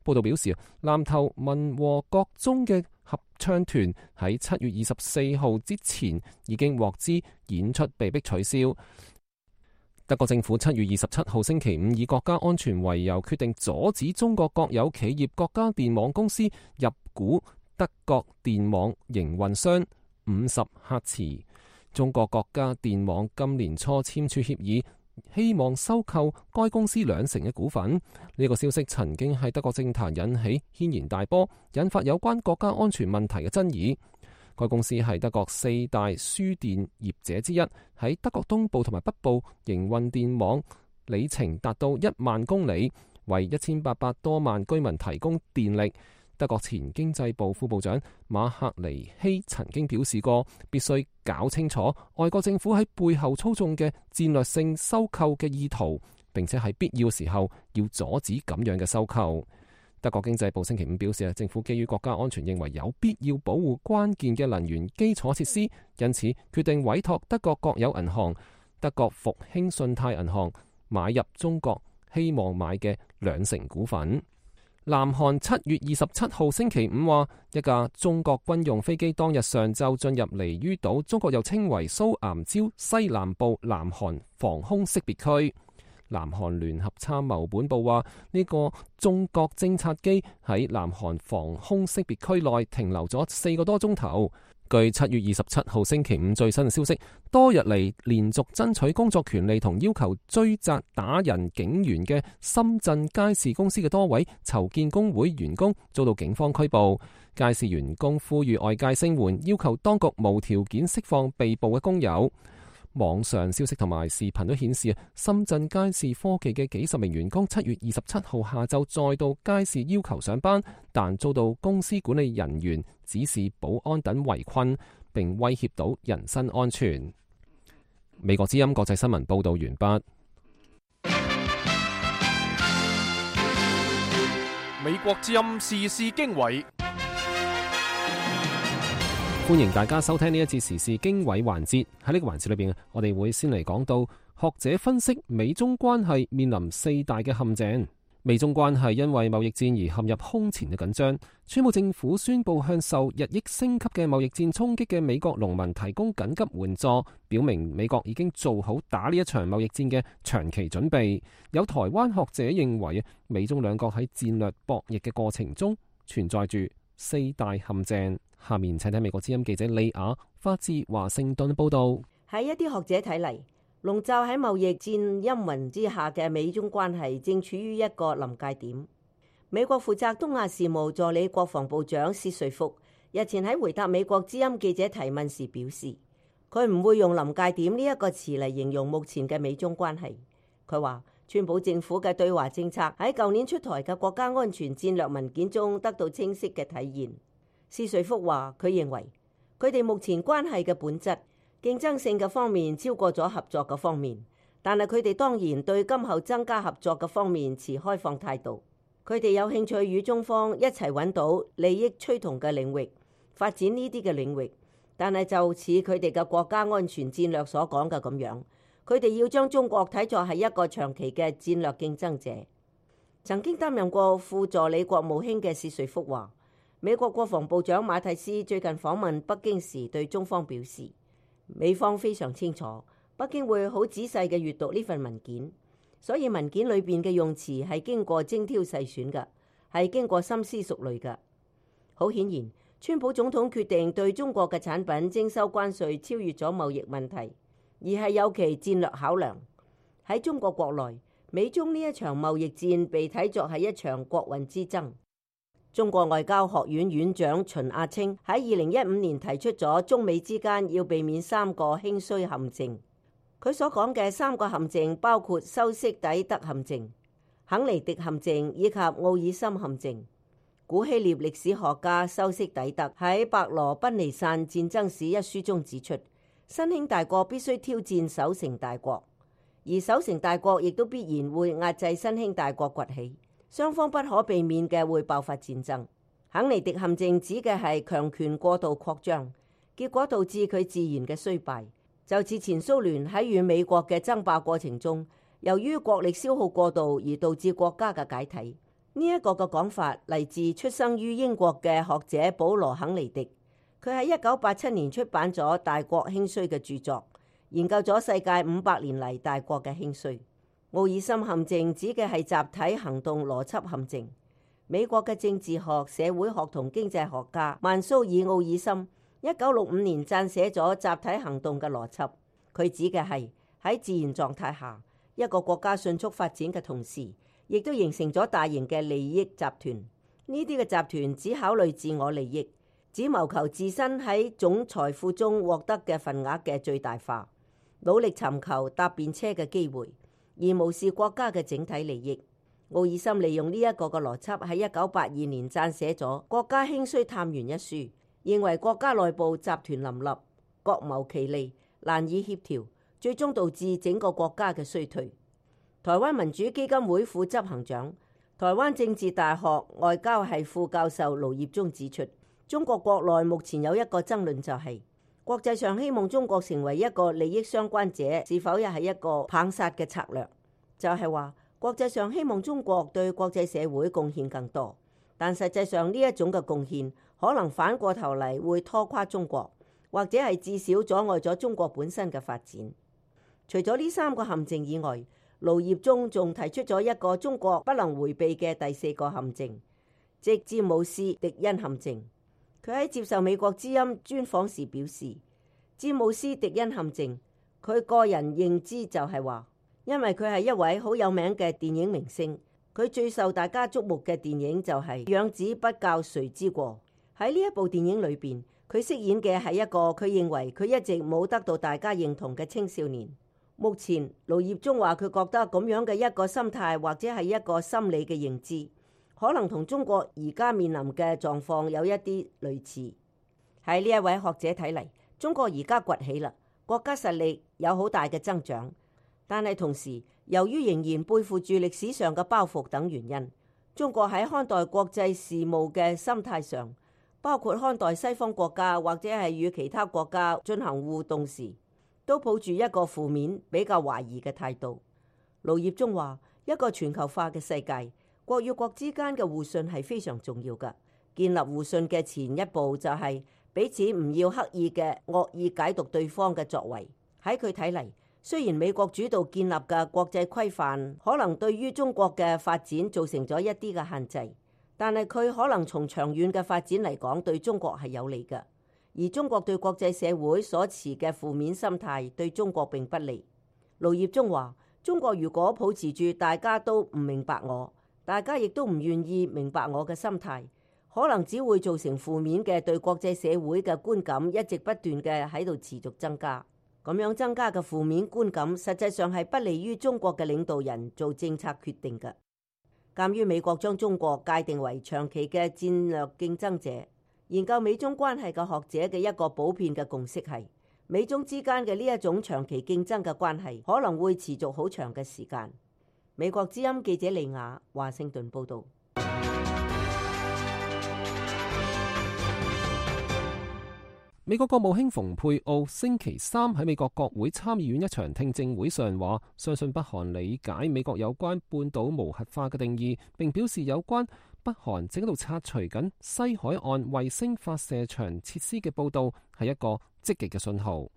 S1: 報道表示，南投民和國中嘅合唱團喺七月二十四號之前已經獲知演出被迫取消。德國政府七月二十七號星期五以國家安全為由，決定阻止中國國有企業國家電網公司入股德國電網營運商五十赫茲。中國國家電網今年初簽署協議，希望收購該公司兩成嘅股份。呢、這個消息曾經喺德國政壇引起軒然大波，引發有關國家安全問題嘅爭議。該公司係德國四大輸電業者之一，喺德國東部同埋北部營運電網里程達到一萬公里，為一千八百多萬居民提供電力。德國前經濟部副部長馬克尼希曾經表示過，必須搞清楚外國政府喺背後操縱嘅戰略性收購嘅意圖，並且喺必要時候要阻止咁樣嘅收購。德國經濟部星期五表示，政府基於國家安全，認為有必要保護關鍵嘅能源基礎設施，因此決定委託德國國有銀行德國復興信貸銀行買入中國希望買嘅兩成股份。南韓七月二十七號星期五話，一架中國軍用飛機當日上晝進入離於島，中國又稱為蘇岩礁西南部南韓防空識別區。南韓聯合參謀本部話，呢、這個中國偵察機喺南韓防空識別區內停留咗四個多鐘頭。據七月二十七號星期五最新嘅消息，多日嚟連續爭取工作權利同要求追責打人警員嘅深圳佳士公司嘅多位籌建工會員工遭到警方拘捕。佳士員工呼籲外界聲援，要求當局無條件釋放被捕嘅工友。網上消息同埋視頻都顯示，深圳佳士科技嘅幾十名員工七月二十七號下晝再到佳士要求上班，但遭到公司管理人員指示保安等圍困，並威脅到人身安全。美國之音國際新聞報道完畢。
S3: 美國之音時事經緯。
S1: 歡迎大家收聽呢一節時事經緯環節。喺呢個環節裏邊，我哋會先嚟講到學者分析美中關係面臨四大嘅陷阱。美中關係因為貿易戰而陷入空前嘅緊張。川普政府宣布向受日益升級嘅貿易戰衝擊嘅美國農民提供緊急援助，表明美國已經做好打呢一場貿易戰嘅長期準備。有台灣學者認為，美中兩國喺戰略博弈嘅過程中存在住四大陷阱。下面請睇美國之音記者李雅發自華盛頓報道。
S6: 喺一啲學者睇嚟，籠罩喺貿易戰陰雲之下嘅美中關係正處於一個臨界點。美國負責東亞事務助理國防部長薛瑞福日前喺回答美國之音記者提問時表示，佢唔會用臨界點呢一個詞嚟形容目前嘅美中關係。佢話川普政府嘅對華政策喺舊年出台嘅國家安全戰略文件中得到清晰嘅體現。薛瑞福話：佢認為佢哋目前關係嘅本質競爭性嘅方面超過咗合作嘅方面，但係佢哋當然對今後增加合作嘅方面持開放態度。佢哋有興趣與中方一齊揾到利益趨同嘅領域，發展呢啲嘅領域。但係就似佢哋嘅國家安全戰略所講嘅咁樣，佢哋要將中國睇作係一個長期嘅戰略競爭者。曾經擔任過副助理國務卿嘅薛瑞福話，美國國防部長馬蒂斯最近訪問北京時對中方表示，美方非常清楚北京會好仔細嘅閱讀呢份文件，所以文件裏邊嘅用詞係經過精挑細選嘅，係經過深思熟慮嘅。好顯然，川普總統決定對中國嘅產品徵收關稅超越咗貿易問題，而係有其戰略考量。喺中國國內，美中呢一場貿易戰被睇作係一場國運之爭。中國外交學院院長秦亞青喺二零一五年提出咗中美之間要避免三個興衰陷阱。佢所講嘅三個陷阱包括修昔底德陷阱、肯尼迪陷阱以及奧爾森陷阱。古希臘歷史學家修昔底德喺《伯羅奔尼撒戰爭史》一書中指出，新興大國必須挑戰守成大國，而守成大國亦都必然會壓制新興大國崛起。雙方不可避免嘅會爆發戰爭。肯尼迪陷阱指嘅係強權過度擴張，結果導致佢自然嘅衰敗，就似前蘇聯喺與美國嘅爭霸過程中，由於國力消耗過度而導致國家嘅解體。呢、這、一個嘅講法嚟自出生於英國嘅學者保羅肯尼迪，佢喺一九八七年出版咗《大國興衰》嘅著作，研究咗世界五百年嚟大國嘅興衰。奧爾森陷阱指嘅係集體行動邏輯陷阱。美國嘅政治學、社會學同經濟學家曼蘇爾奧爾森一九六五年撰寫咗集體行動嘅邏輯。佢指嘅係喺自然狀態下，一個國家迅速發展嘅同時，亦都形成咗大型嘅利益集團。呢啲嘅集團只考慮自我利益，只謀求自身喺總財富中獲得嘅份額嘅最大化，努力尋求搭便車嘅機會，而無視國家嘅整體利益。奧爾森利用呢一個嘅邏輯喺一九八二年撰寫咗《國家興衰探源》一書，認為國家內部集團林立，各謀其利，難以協調，最終導致整個國家嘅衰退。台灣民主基金會副執行長、台灣政治大學外交系副教授盧業忠指出，中國國內目前有一個爭論，就係國際上希望中國成為一個利益相關者，是否又係一個棒殺嘅策略？就係話國際上希望中國對國際社會貢獻更多，但實際上呢一種嘅貢獻可能反過頭嚟會拖垮中國，或者係至少阻礙咗中國本身嘅發展。除咗呢三個陷阱以外，盧業忠仲提出咗一個中國不能迴避嘅第四個陷阱，即詹姆斯迪恩陷阱。佢喺接受美國之音專訪時表示，詹姆斯·迪恩陷阱，佢個人認知就係話，因為佢係一位好有名嘅電影明星，佢最受大家矚目嘅電影就係《養子不教誰之過》。喺呢一部電影裏邊，佢飾演嘅係一個佢認為佢一直冇得到大家認同嘅青少年。目前盧業中話，佢覺得咁樣嘅一個心態或者係一個心理嘅認知，可能同中國而家面臨嘅狀況有一啲類似。喺呢一位學者睇嚟，中國而家崛起啦，國家實力有好大嘅增長，但係同時由於仍然背負住歷史上嘅包袱等原因，中國喺看待國際事務嘅心態上，包括看待西方國家或者係與其他國家進行互動時，都抱住一個負面比較懷疑嘅態度。盧業中話，一個全球化嘅世界，國與國之間嘅互信係非常重要嘅。建立互信嘅前一步就係彼此唔要刻意嘅惡意解讀對方嘅作為。喺佢睇嚟，雖然美國主導建立嘅國際規範可能對於中國嘅發展造成咗一啲嘅限制，但係佢可能從長遠嘅發展嚟講對中國係有利嘅。而中國對國際社會所持嘅負面心態對中國並不利。盧業中話，中國如果保持住大家都唔明白我，大家亦都唔願意明白我嘅心態，可能只會造成負面嘅對國際社會嘅觀感一直不斷嘅喺度持續增加。咁樣增加嘅負面觀感實際上係不利於中國嘅領導人做政策決定嘅。鑑於美國將中國界定為長期嘅戰略競爭者，研究美中關係嘅學者嘅一個普遍嘅共識係，美中之間嘅呢一種長期競爭嘅關係可能會持續好長嘅時間。美國之音記者利亞華盛頓報道。
S1: 美國國務卿蓬佩奧星期三喺美國國會參議院一場聽證會上話，相信北韓理解美國有關半島無核化嘅定義，並表示有關北韓正喺度拆除緊西海岸衛星發射場設施嘅報道係一個積極嘅信號。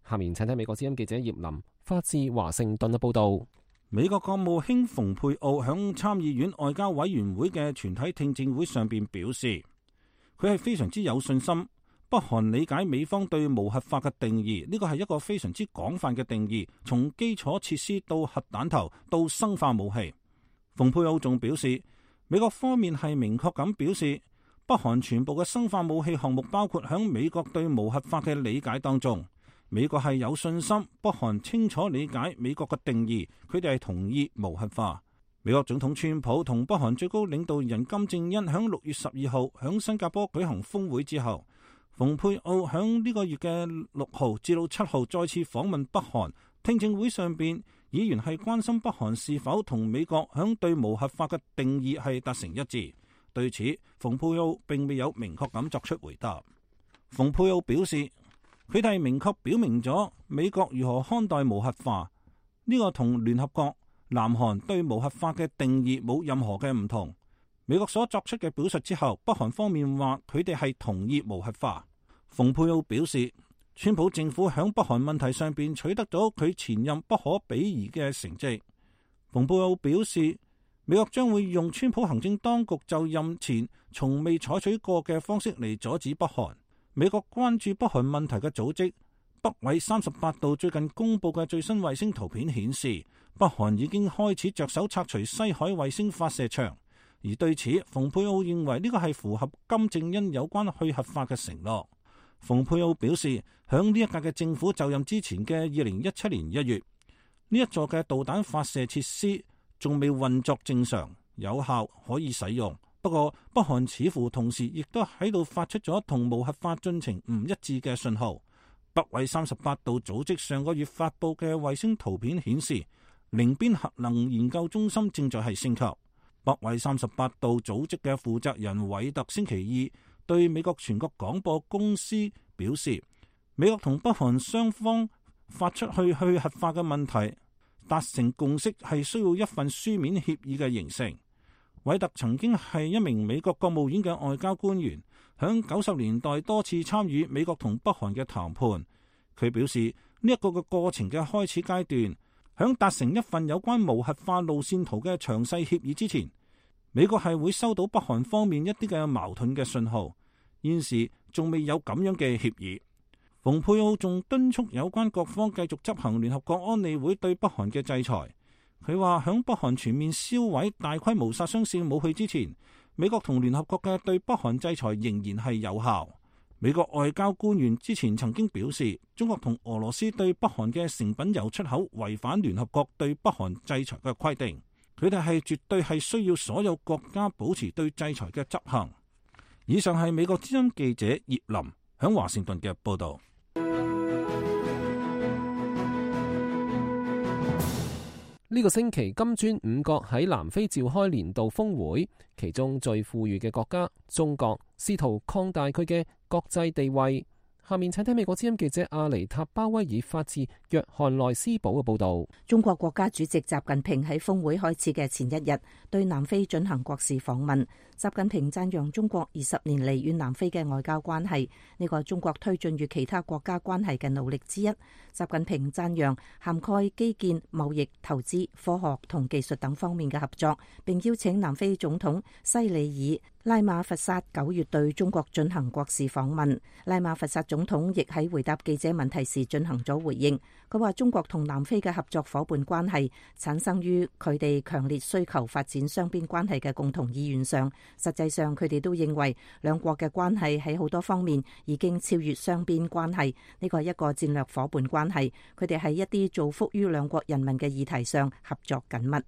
S1: 下面請睇美國之音記者葉林發自華盛頓嘅報道。
S8: 美國國務卿蓬佩奧響參議院外交委員會嘅全體聽證會上邊表示，佢係非常之有信心北韓理解美方對無核化嘅定義，呢個係一個非常之廣泛嘅定義，從基礎設施到核彈頭到生化武器。蓬佩奧仲表示，美國方面係明確咁表示，北韓全部嘅生化武器項目包括響美國對無核化嘅理解當中。美國係有信心北韓清楚理解美國嘅定義，佢哋係同意無核化。美國總統川普同北韓最高領導人金正恩響六月十二號響新加坡舉行峰會之後，蓬佩奧響呢個月嘅六號至到七號再次訪問北韓。聽證會上邊，議員係關心北韓是否同美國響對無核化嘅定義係達成一致。對此，蓬佩奧並未有明確咁作出回答。蓬佩奧表示，佢哋明確表明咗美國如何看待無核化，呢個同聯合國、南韓對無核化嘅定義冇任何嘅唔同。美國所作出嘅表述之後，北韓方面話佢哋係同意無核化。蓬佩奧表示，川普政府響北韓問題上邊取得咗佢前任不可比擬嘅成績。蓬佩奧表示，美國將會用川普行政當局就任前從未採取過嘅方式嚟阻止北韓。美國關注北韓問題嘅組織北緯三十八度最近公布嘅最新衛星圖片顯示，北韓已經開始着手拆除西海衛星發射場。而對此，蓬佩奧認為呢個係符合金正恩有關去核化嘅承諾。蓬佩奧表示，響呢一屆嘅政府就任之前嘅二零一七年一月，呢一座嘅導彈發射設施仲未運作正常、有效可以使用。不過，北韓似乎同時亦都喺度發出咗同無核化進程唔一致嘅信號。北緯三十八度組織上個月發布嘅衛星圖片顯示，寧邊核能研究中心正在係升級。北緯三十八度組織嘅負責人韋特星期二對美國全國廣播公司表示，美國同北韓雙方發出去去核化嘅問題達成共識係需要一份書面協議嘅形成。韋特曾經係一名美國國務院嘅外交官員，響九十年代多次參與美國同北韓嘅談判。佢表示，呢一個嘅過程嘅開始階段，響達成一份有關無核化路線圖嘅詳細協議之前，美國係會收到北韓方面一啲嘅矛盾嘅信號，現時仲未有咁樣嘅協議。蓬佩奧仲敦促有關各方繼續執行聯合國安理會對北韓嘅制裁。佢話響北韓全面銷毀大規模殺傷性武器之前，美國同聯合國嘅對北韓制裁仍然係有效。美國外交官員之前曾經表示，中國同俄羅斯對北韓嘅成品油出口違反聯合國對北韓制裁嘅規定。佢哋係絕對係需要所有國家保持對制裁嘅執行。以上係美國之音記者葉林響華盛頓嘅報道。
S1: 呢個星期，金磚五國喺南非召開年度峰會，其中最富裕嘅國家中國試圖擴大佢嘅國際地位。下面請聽美國之音記者阿尼塔鮑威爾發自約翰內斯堡嘅報道。
S4: 中國國家主席習近平喺峰會開始嘅前一日對南非進行國事訪問。習近平讚揚中國二十年嚟與南非嘅外交關係，呢個係中國推進與其他國家關係嘅努力之一。習近平讚揚涵蓋基建、貿易、投資、科學同技術等方面嘅合作，並邀請南非總統西里爾拉馬佛薩九月對中國進行國事訪問。拉馬佛薩總統亦喺回答記者問題時進行咗回應。佢話中國同南非嘅合作伙伴關係產生於佢哋強烈需求發展雙邊關係嘅共同意願上。實際上，佢哋都認為兩國嘅關係喺好多方面已經超越雙邊關係，呢個係一個戰略伙伴關係。佢哋喺一啲造福於兩國人民嘅議題上合作緊密。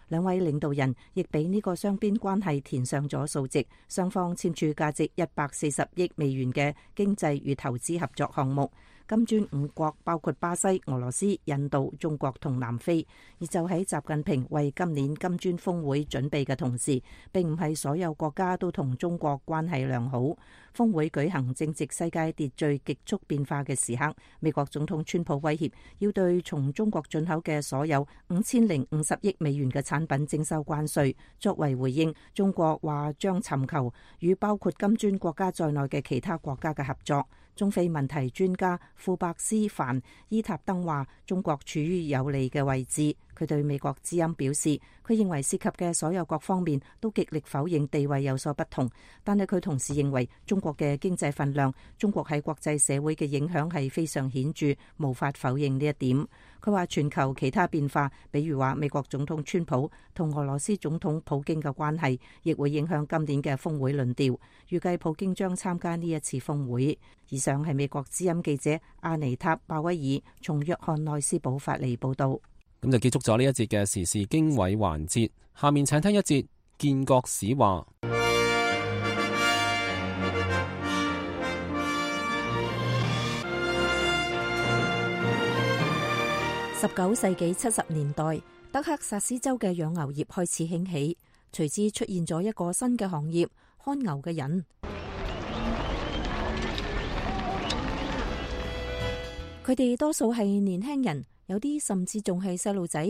S4: 兩位領導人亦俾呢個雙邊關係填上咗數值，雙方簽署價值一百四十億美元嘅經濟與投資合作項目。金磚五國包括巴西、俄羅斯、印度、中國同南非。而就喺習近平為今年金磚峰會準備嘅同時，並唔係所有國家都同中國關係良好。峰會舉行正值世界秩序極速變化嘅時刻，美國總統川普威脅要對從中國進口嘅所有五千零五十億美元嘅產品徵收關稅。作為回應，中國話將尋求與包括金磚國家在內嘅其他國家嘅合作。中非問題專家庫伯斯凡伊塔登話：中國處於有利嘅位置。佢對美國之音表示，佢認為涉及嘅所有各方面都極力否認地位有所不同，但係佢同時認為中國嘅經濟份量、中國喺國際社會嘅影響係非常顯著，無法否認呢一點。佢話全球其他變化，比如話美國總統川普同俄羅斯總統普京嘅關係，亦會影響今年嘅峰會論調。預計普京將參加呢一次峰會。以上係美國之音記者阿尼塔鮑威爾從約翰內斯堡發嚟報道。
S1: 咁就結束咗呢一節嘅時事經緯環節，下面請聽一節建國史話。
S4: 十九世紀七十年代，德克薩斯州嘅養牛業開始興起，隨之出現咗一個新嘅行業——看牛嘅人。佢哋多數係年輕人。有啲甚至仲係細路仔，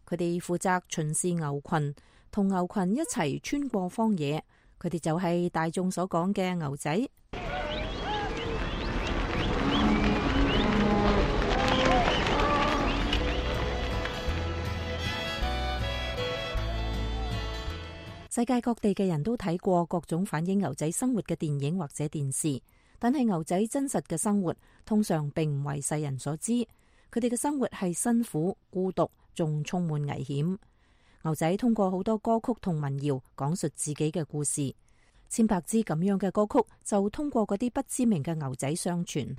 S4: 佢哋負責巡視牛群，同牛群一齊穿過荒野。佢哋就係大眾所講嘅牛仔。世界各地嘅人都睇過各種反映牛仔生活嘅電影或者電視，但係牛仔真實嘅生活通常並唔為世人所知。佢哋嘅生活係辛苦、孤獨，仲充滿危險。牛仔通過好多歌曲同民謠講述自己嘅故事，千百支咁樣嘅歌曲就通過嗰啲不知名嘅牛仔相傳。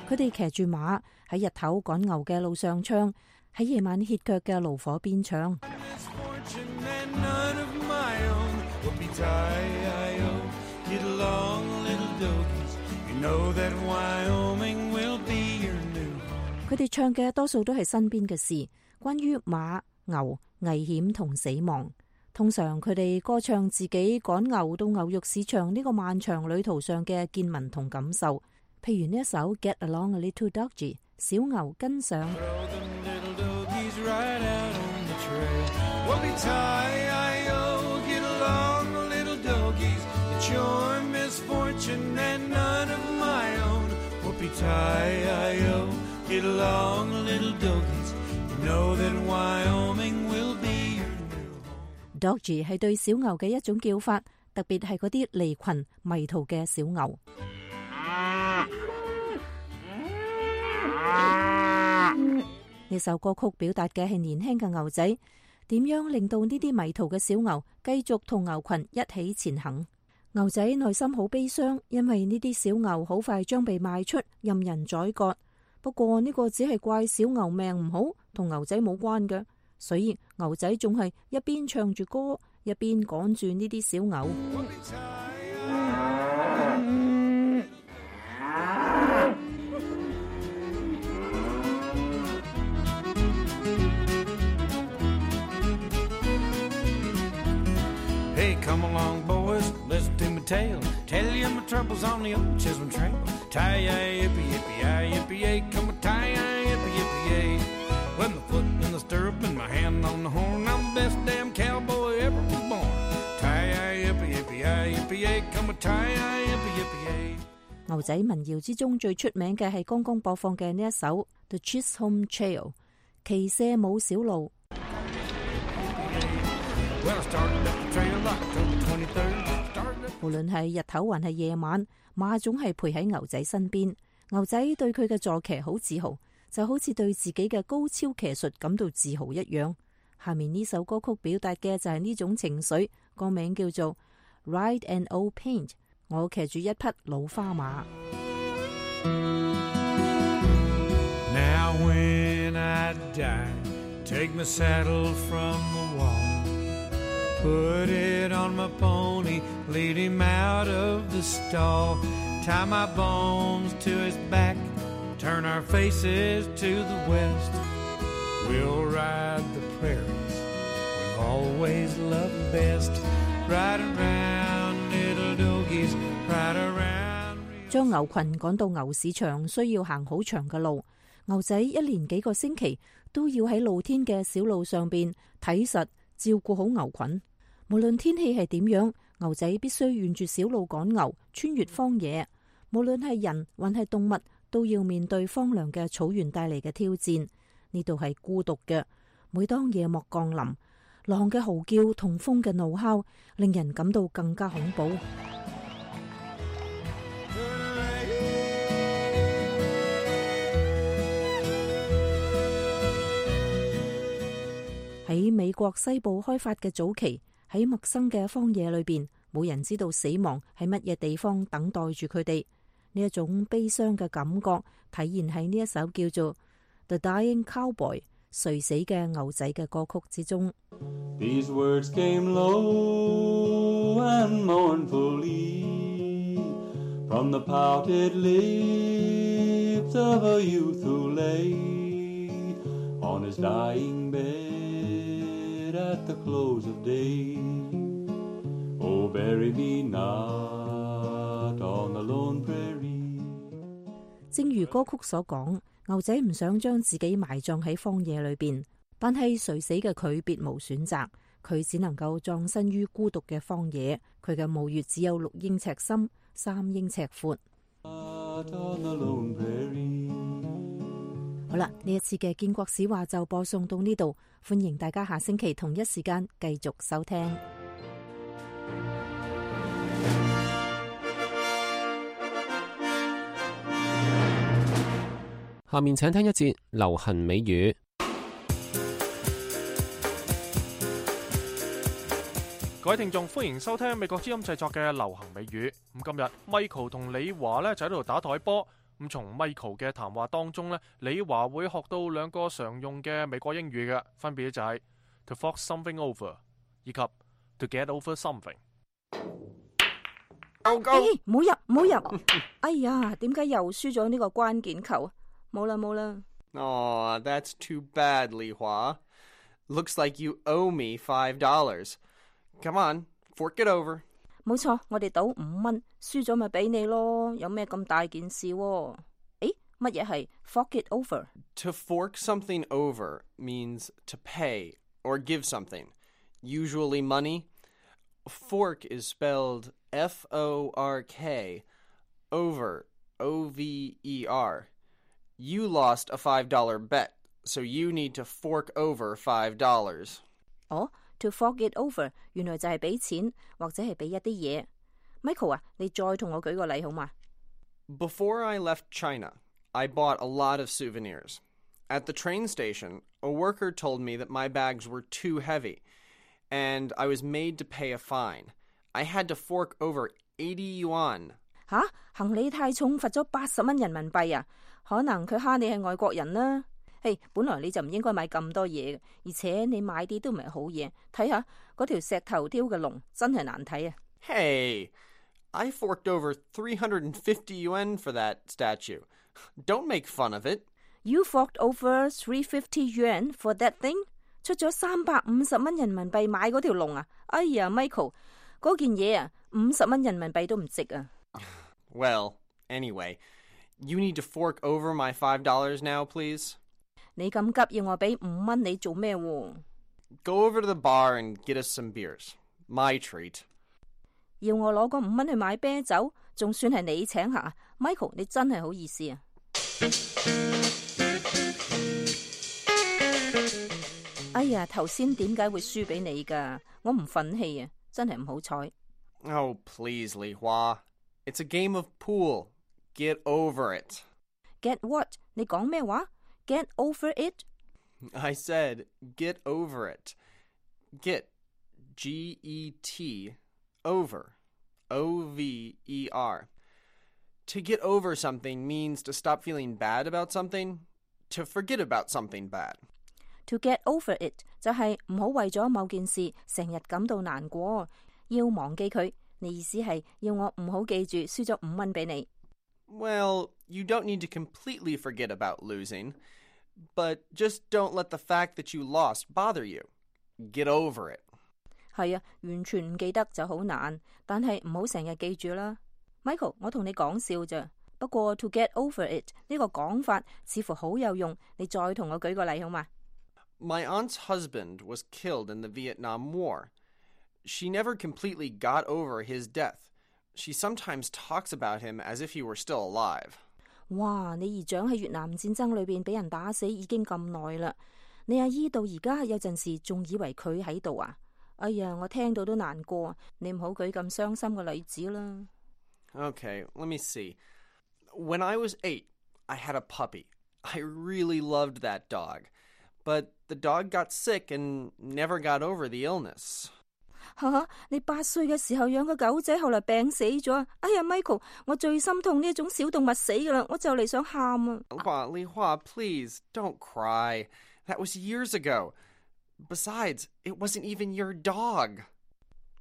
S4: 佢哋騎住馬喺日頭趕牛嘅路上唱，喺夜晚歇腳嘅爐火邊唱。佢哋唱嘅多數都係身邊嘅事，關於馬、牛、危險同死亡。通常佢哋歌唱自己趕牛到牛肉市場呢個漫長旅途上嘅見聞同感受。譬如呢一首 Get Along a Little Doggy， 小牛跟上。佢
S9: Yippee-ki-yo, get along, little doggies. You know that Wyoming will be your new home.
S4: Doggy 係對小牛嘅一種叫法，特別係嗰啲離群迷途嘅小牛。呢首歌曲表達嘅係年輕嘅牛仔點樣令到呢啲迷途嘅小牛繼續同牛群一起前行。牛仔內心好悲傷，因為呢啲小牛好快將被賣出，任人宰割。不過呢個只係怪小牛命唔好，同牛仔冇關嘅，所以牛仔仲係一邊唱住歌，一邊趕住呢啲小牛。
S9: Hey, come along, boys, listen to me tale. Tell you my troubles on the old Chisholm Trail. Tie-yi-yippee, yippee-yi, yippee-yay, come a tie-yi, yippee, yippee-yay. With my foot in the stirrup and my hand on the horn, I'm the best damn cowboy ever was born. Tie-yi, yippee, yippee-yi, yippee-yay, come a tie-yi, yippee, yippee-yay.
S4: 牛仔民謠之中最出名嘅係剛剛播放嘅呢一首《The Chisholm Trail》，騎射舞小路。無論係日頭還係夜晚，馬總係陪喺牛仔身邊。牛仔對佢嘅坐騎好自豪，就好似對自己嘅高超騎術感到自豪一樣。下面呢首歌曲表達嘅就係呢種情緒，歌名叫做《Ride an Old Paint》，我騎住一匹老花馬。
S9: Now when I die, take my saddle from the wall.Put it on my pony, lead him out of the stall. Tie my bones to his back, turn our faces to the west. We'll ride the prairies, we've always loved best. Ride around, little doggies, ride around.
S4: 將牛群趕到牛市場需要行好長嘅路，牛仔一連幾個星期都要喺露天嘅小路上邊睇實照顧好牛群。無論天氣係點樣，牛仔必須沿住小路趕牛，穿越荒野。無論係人還係動物，都要面對荒涼嘅草原帶嚟嘅挑戰。呢度係孤獨嘅。每當夜幕降臨，狼嘅嚎叫同風嘅怒哮，令人感到更加恐怖。喺美國西部開發嘅早期，喺陌生嘅荒野裏邊，冇人知道死亡喺乜嘢地方等待住佢哋。呢一種悲傷嘅感覺體現喺呢一首叫做《The Dying Cowboy》垂死嘅牛仔嘅歌曲之中。
S10: These words came low and mournfully from the pouted lips of a youth who lay on his dying bed at the close of day. Oh, bury me not on the lone prairie.
S4: 正如歌曲所講，牛仔唔想將自己埋葬喺荒野裏邊，但係垂死嘅佢別無選擇，佢只能夠葬身於孤獨嘅荒野。佢嘅墓穴只有六英尺深，三英尺闊。好啦，呢一次嘅建國史話就播送到呢度，歡迎大家下星期同一時間繼續收聽。
S1: 下面請聽一節流行美語。
S3: 各位聽眾，歡迎收聽美國之音製作嘅流行美語。咁今日 Michael 同李華咧就喺度打台波。咁從 Michael 嘅談話當中咧，李華會學到兩個常用嘅美國英語嘅，分別就係 to fork something over 以及 to get over something。
S4: 誒，唔好入，唔好入！哎呀，點解又輸咗呢個關鍵球？冇啦冇啦。
S11: Aw, that's too bad, 李華。Looks like you owe me five dollars. Come on, fork it over.
S4: 冇錯，我哋賭五蚊，輸咗咪俾你咯，有咩咁大件事？誒，乜嘢係 fork it over?
S11: To fork something over means to pay or give something, usually money. Fork is spelled F O R K. Over O V E R. You lost a five dollar bet, so you need to fork over five dollars.
S4: 哦 ，to fork it over 原來就係俾錢或者係俾一啲嘢。Michael 啊，你再同我舉個例好嘛？
S11: Before I left China, I bought a lot of souvenirs. At the train station, a worker told me that my bags were too heavy, and I was made to pay a fine. I had to fork over eighty yuan.
S4: 吓，行李太重，罰咗八十蚊人民幣啊！可能佢蝦你係外國人啦。嘿，本來你就唔應該買咁多嘢嘅，而且你買啲都唔係好嘢。睇下嗰條石頭雕嘅龍，真係難睇啊！
S11: Hey, I forked over three hundred fifty yuan for that statue. Don't make fun of it.
S4: You forked over three hundred fifty yuan for that thing? 出咗三百五十蚊人民幣買嗰條龍啊！哎呀 ，Michael， 嗰件嘢啊，五十蚊人民幣都唔值啊！
S11: Well, anyway, you need to fork over my five dollars now, please.
S4: 你咁急要我俾五蚊你做咩喎？
S11: Go over to the bar and get us some beers. My treat.
S4: 要我攞嗰五蚊去買啤酒，仲算係你請客啊 ？Michael， 你真係好意思啊！哎呀，頭先點解會輸俾你㗎？我唔忿氣啊，真係唔好彩。
S11: Oh, please, Li Hua. It's a game of pool. Get over it.
S4: Get what? 你講咩話 ？Get over it?
S11: I said get over it. Get, G E T, over, O V E R. To get over something means to stop feeling bad about something, to forget about something bad.
S4: To get over it 就係唔好為咗某件事成日感到難過，要忘記佢。你意思係要我唔好記住輸咗五蚊俾你。
S11: Well, you don't need to completely forget about losing, but just don't let the fact that you lost bother you. Get over it.
S4: 係啊，完全唔記得就好難，但係唔好成日記住啦。Michael， 我同你講笑咋，不過 to get over it 呢個講法似乎好有用，你再同我舉個例好嘛？
S11: My aunt's husband was killed in the Vietnam War. She never completely got over his death. She sometimes talks about him as if he were still alive.
S4: 哇！你姨丈喺越南戰爭裏邊俾人打死已經咁耐啦，你阿姨到而家有陣時仲以為佢喺度啊！哎呀，我聽到都難過，你唔好舉咁傷心嘅例子啦。
S11: Okay, let me see. When I was eight, I had a puppy. I really loved that dog. But the dog got sick and never got over the illness.
S4: 哈哈，你八歲嘅時候養個狗仔，後來病死咗。哎呀 ，Michael， 我最心痛呢一種小動物死噶啦，我就嚟想喊啊！
S11: Li Hua, please, don't cry. That was years ago. Besides, it wasn't even your dog.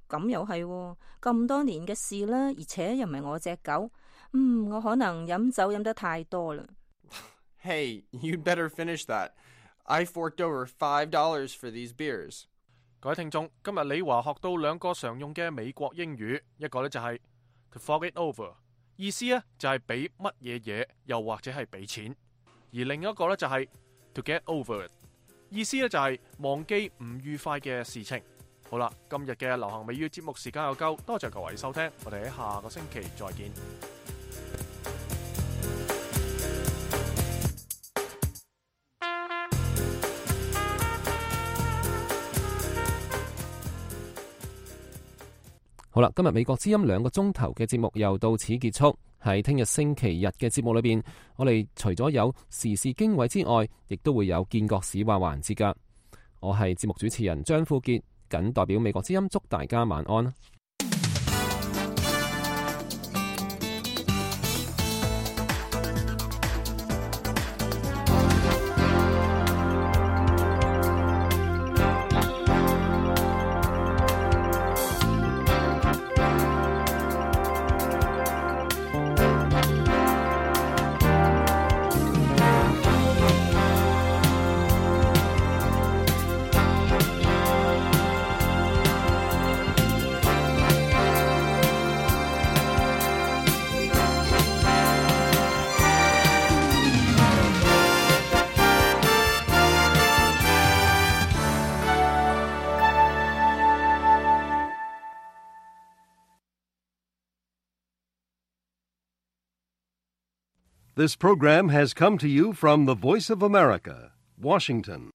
S4: 咁又係喎，咁多年嘅事啦，而且又唔係我隻狗。嗯，我可能飲酒飲得太多啦。
S11: Hey, you'd better finish that. I forked over five dollars for these beers.
S3: 各位聽眾，今日李華學到兩個常用嘅美國英語，一個呢就係 to fork it over， 意思呢就係俾乜嘢嘢，又或者係俾錢；而另一個呢就係 to get over it， 意思呢就係忘記唔愉快嘅事情。好啦，今日嘅流行美語節目時間又夠，多謝各位收聽，我哋喺下個星期再見。
S1: 好啦，今日美國之音兩個鐘頭嘅節目又到此結束。喺聽日星期日嘅節目裏邊，我哋除咗有時事經緯之外，亦都會有見國史話環節噶。我係節目主持人張富傑，謹代表美國之音祝大家晚安。
S12: This program has come to you from the Voice of America, Washington.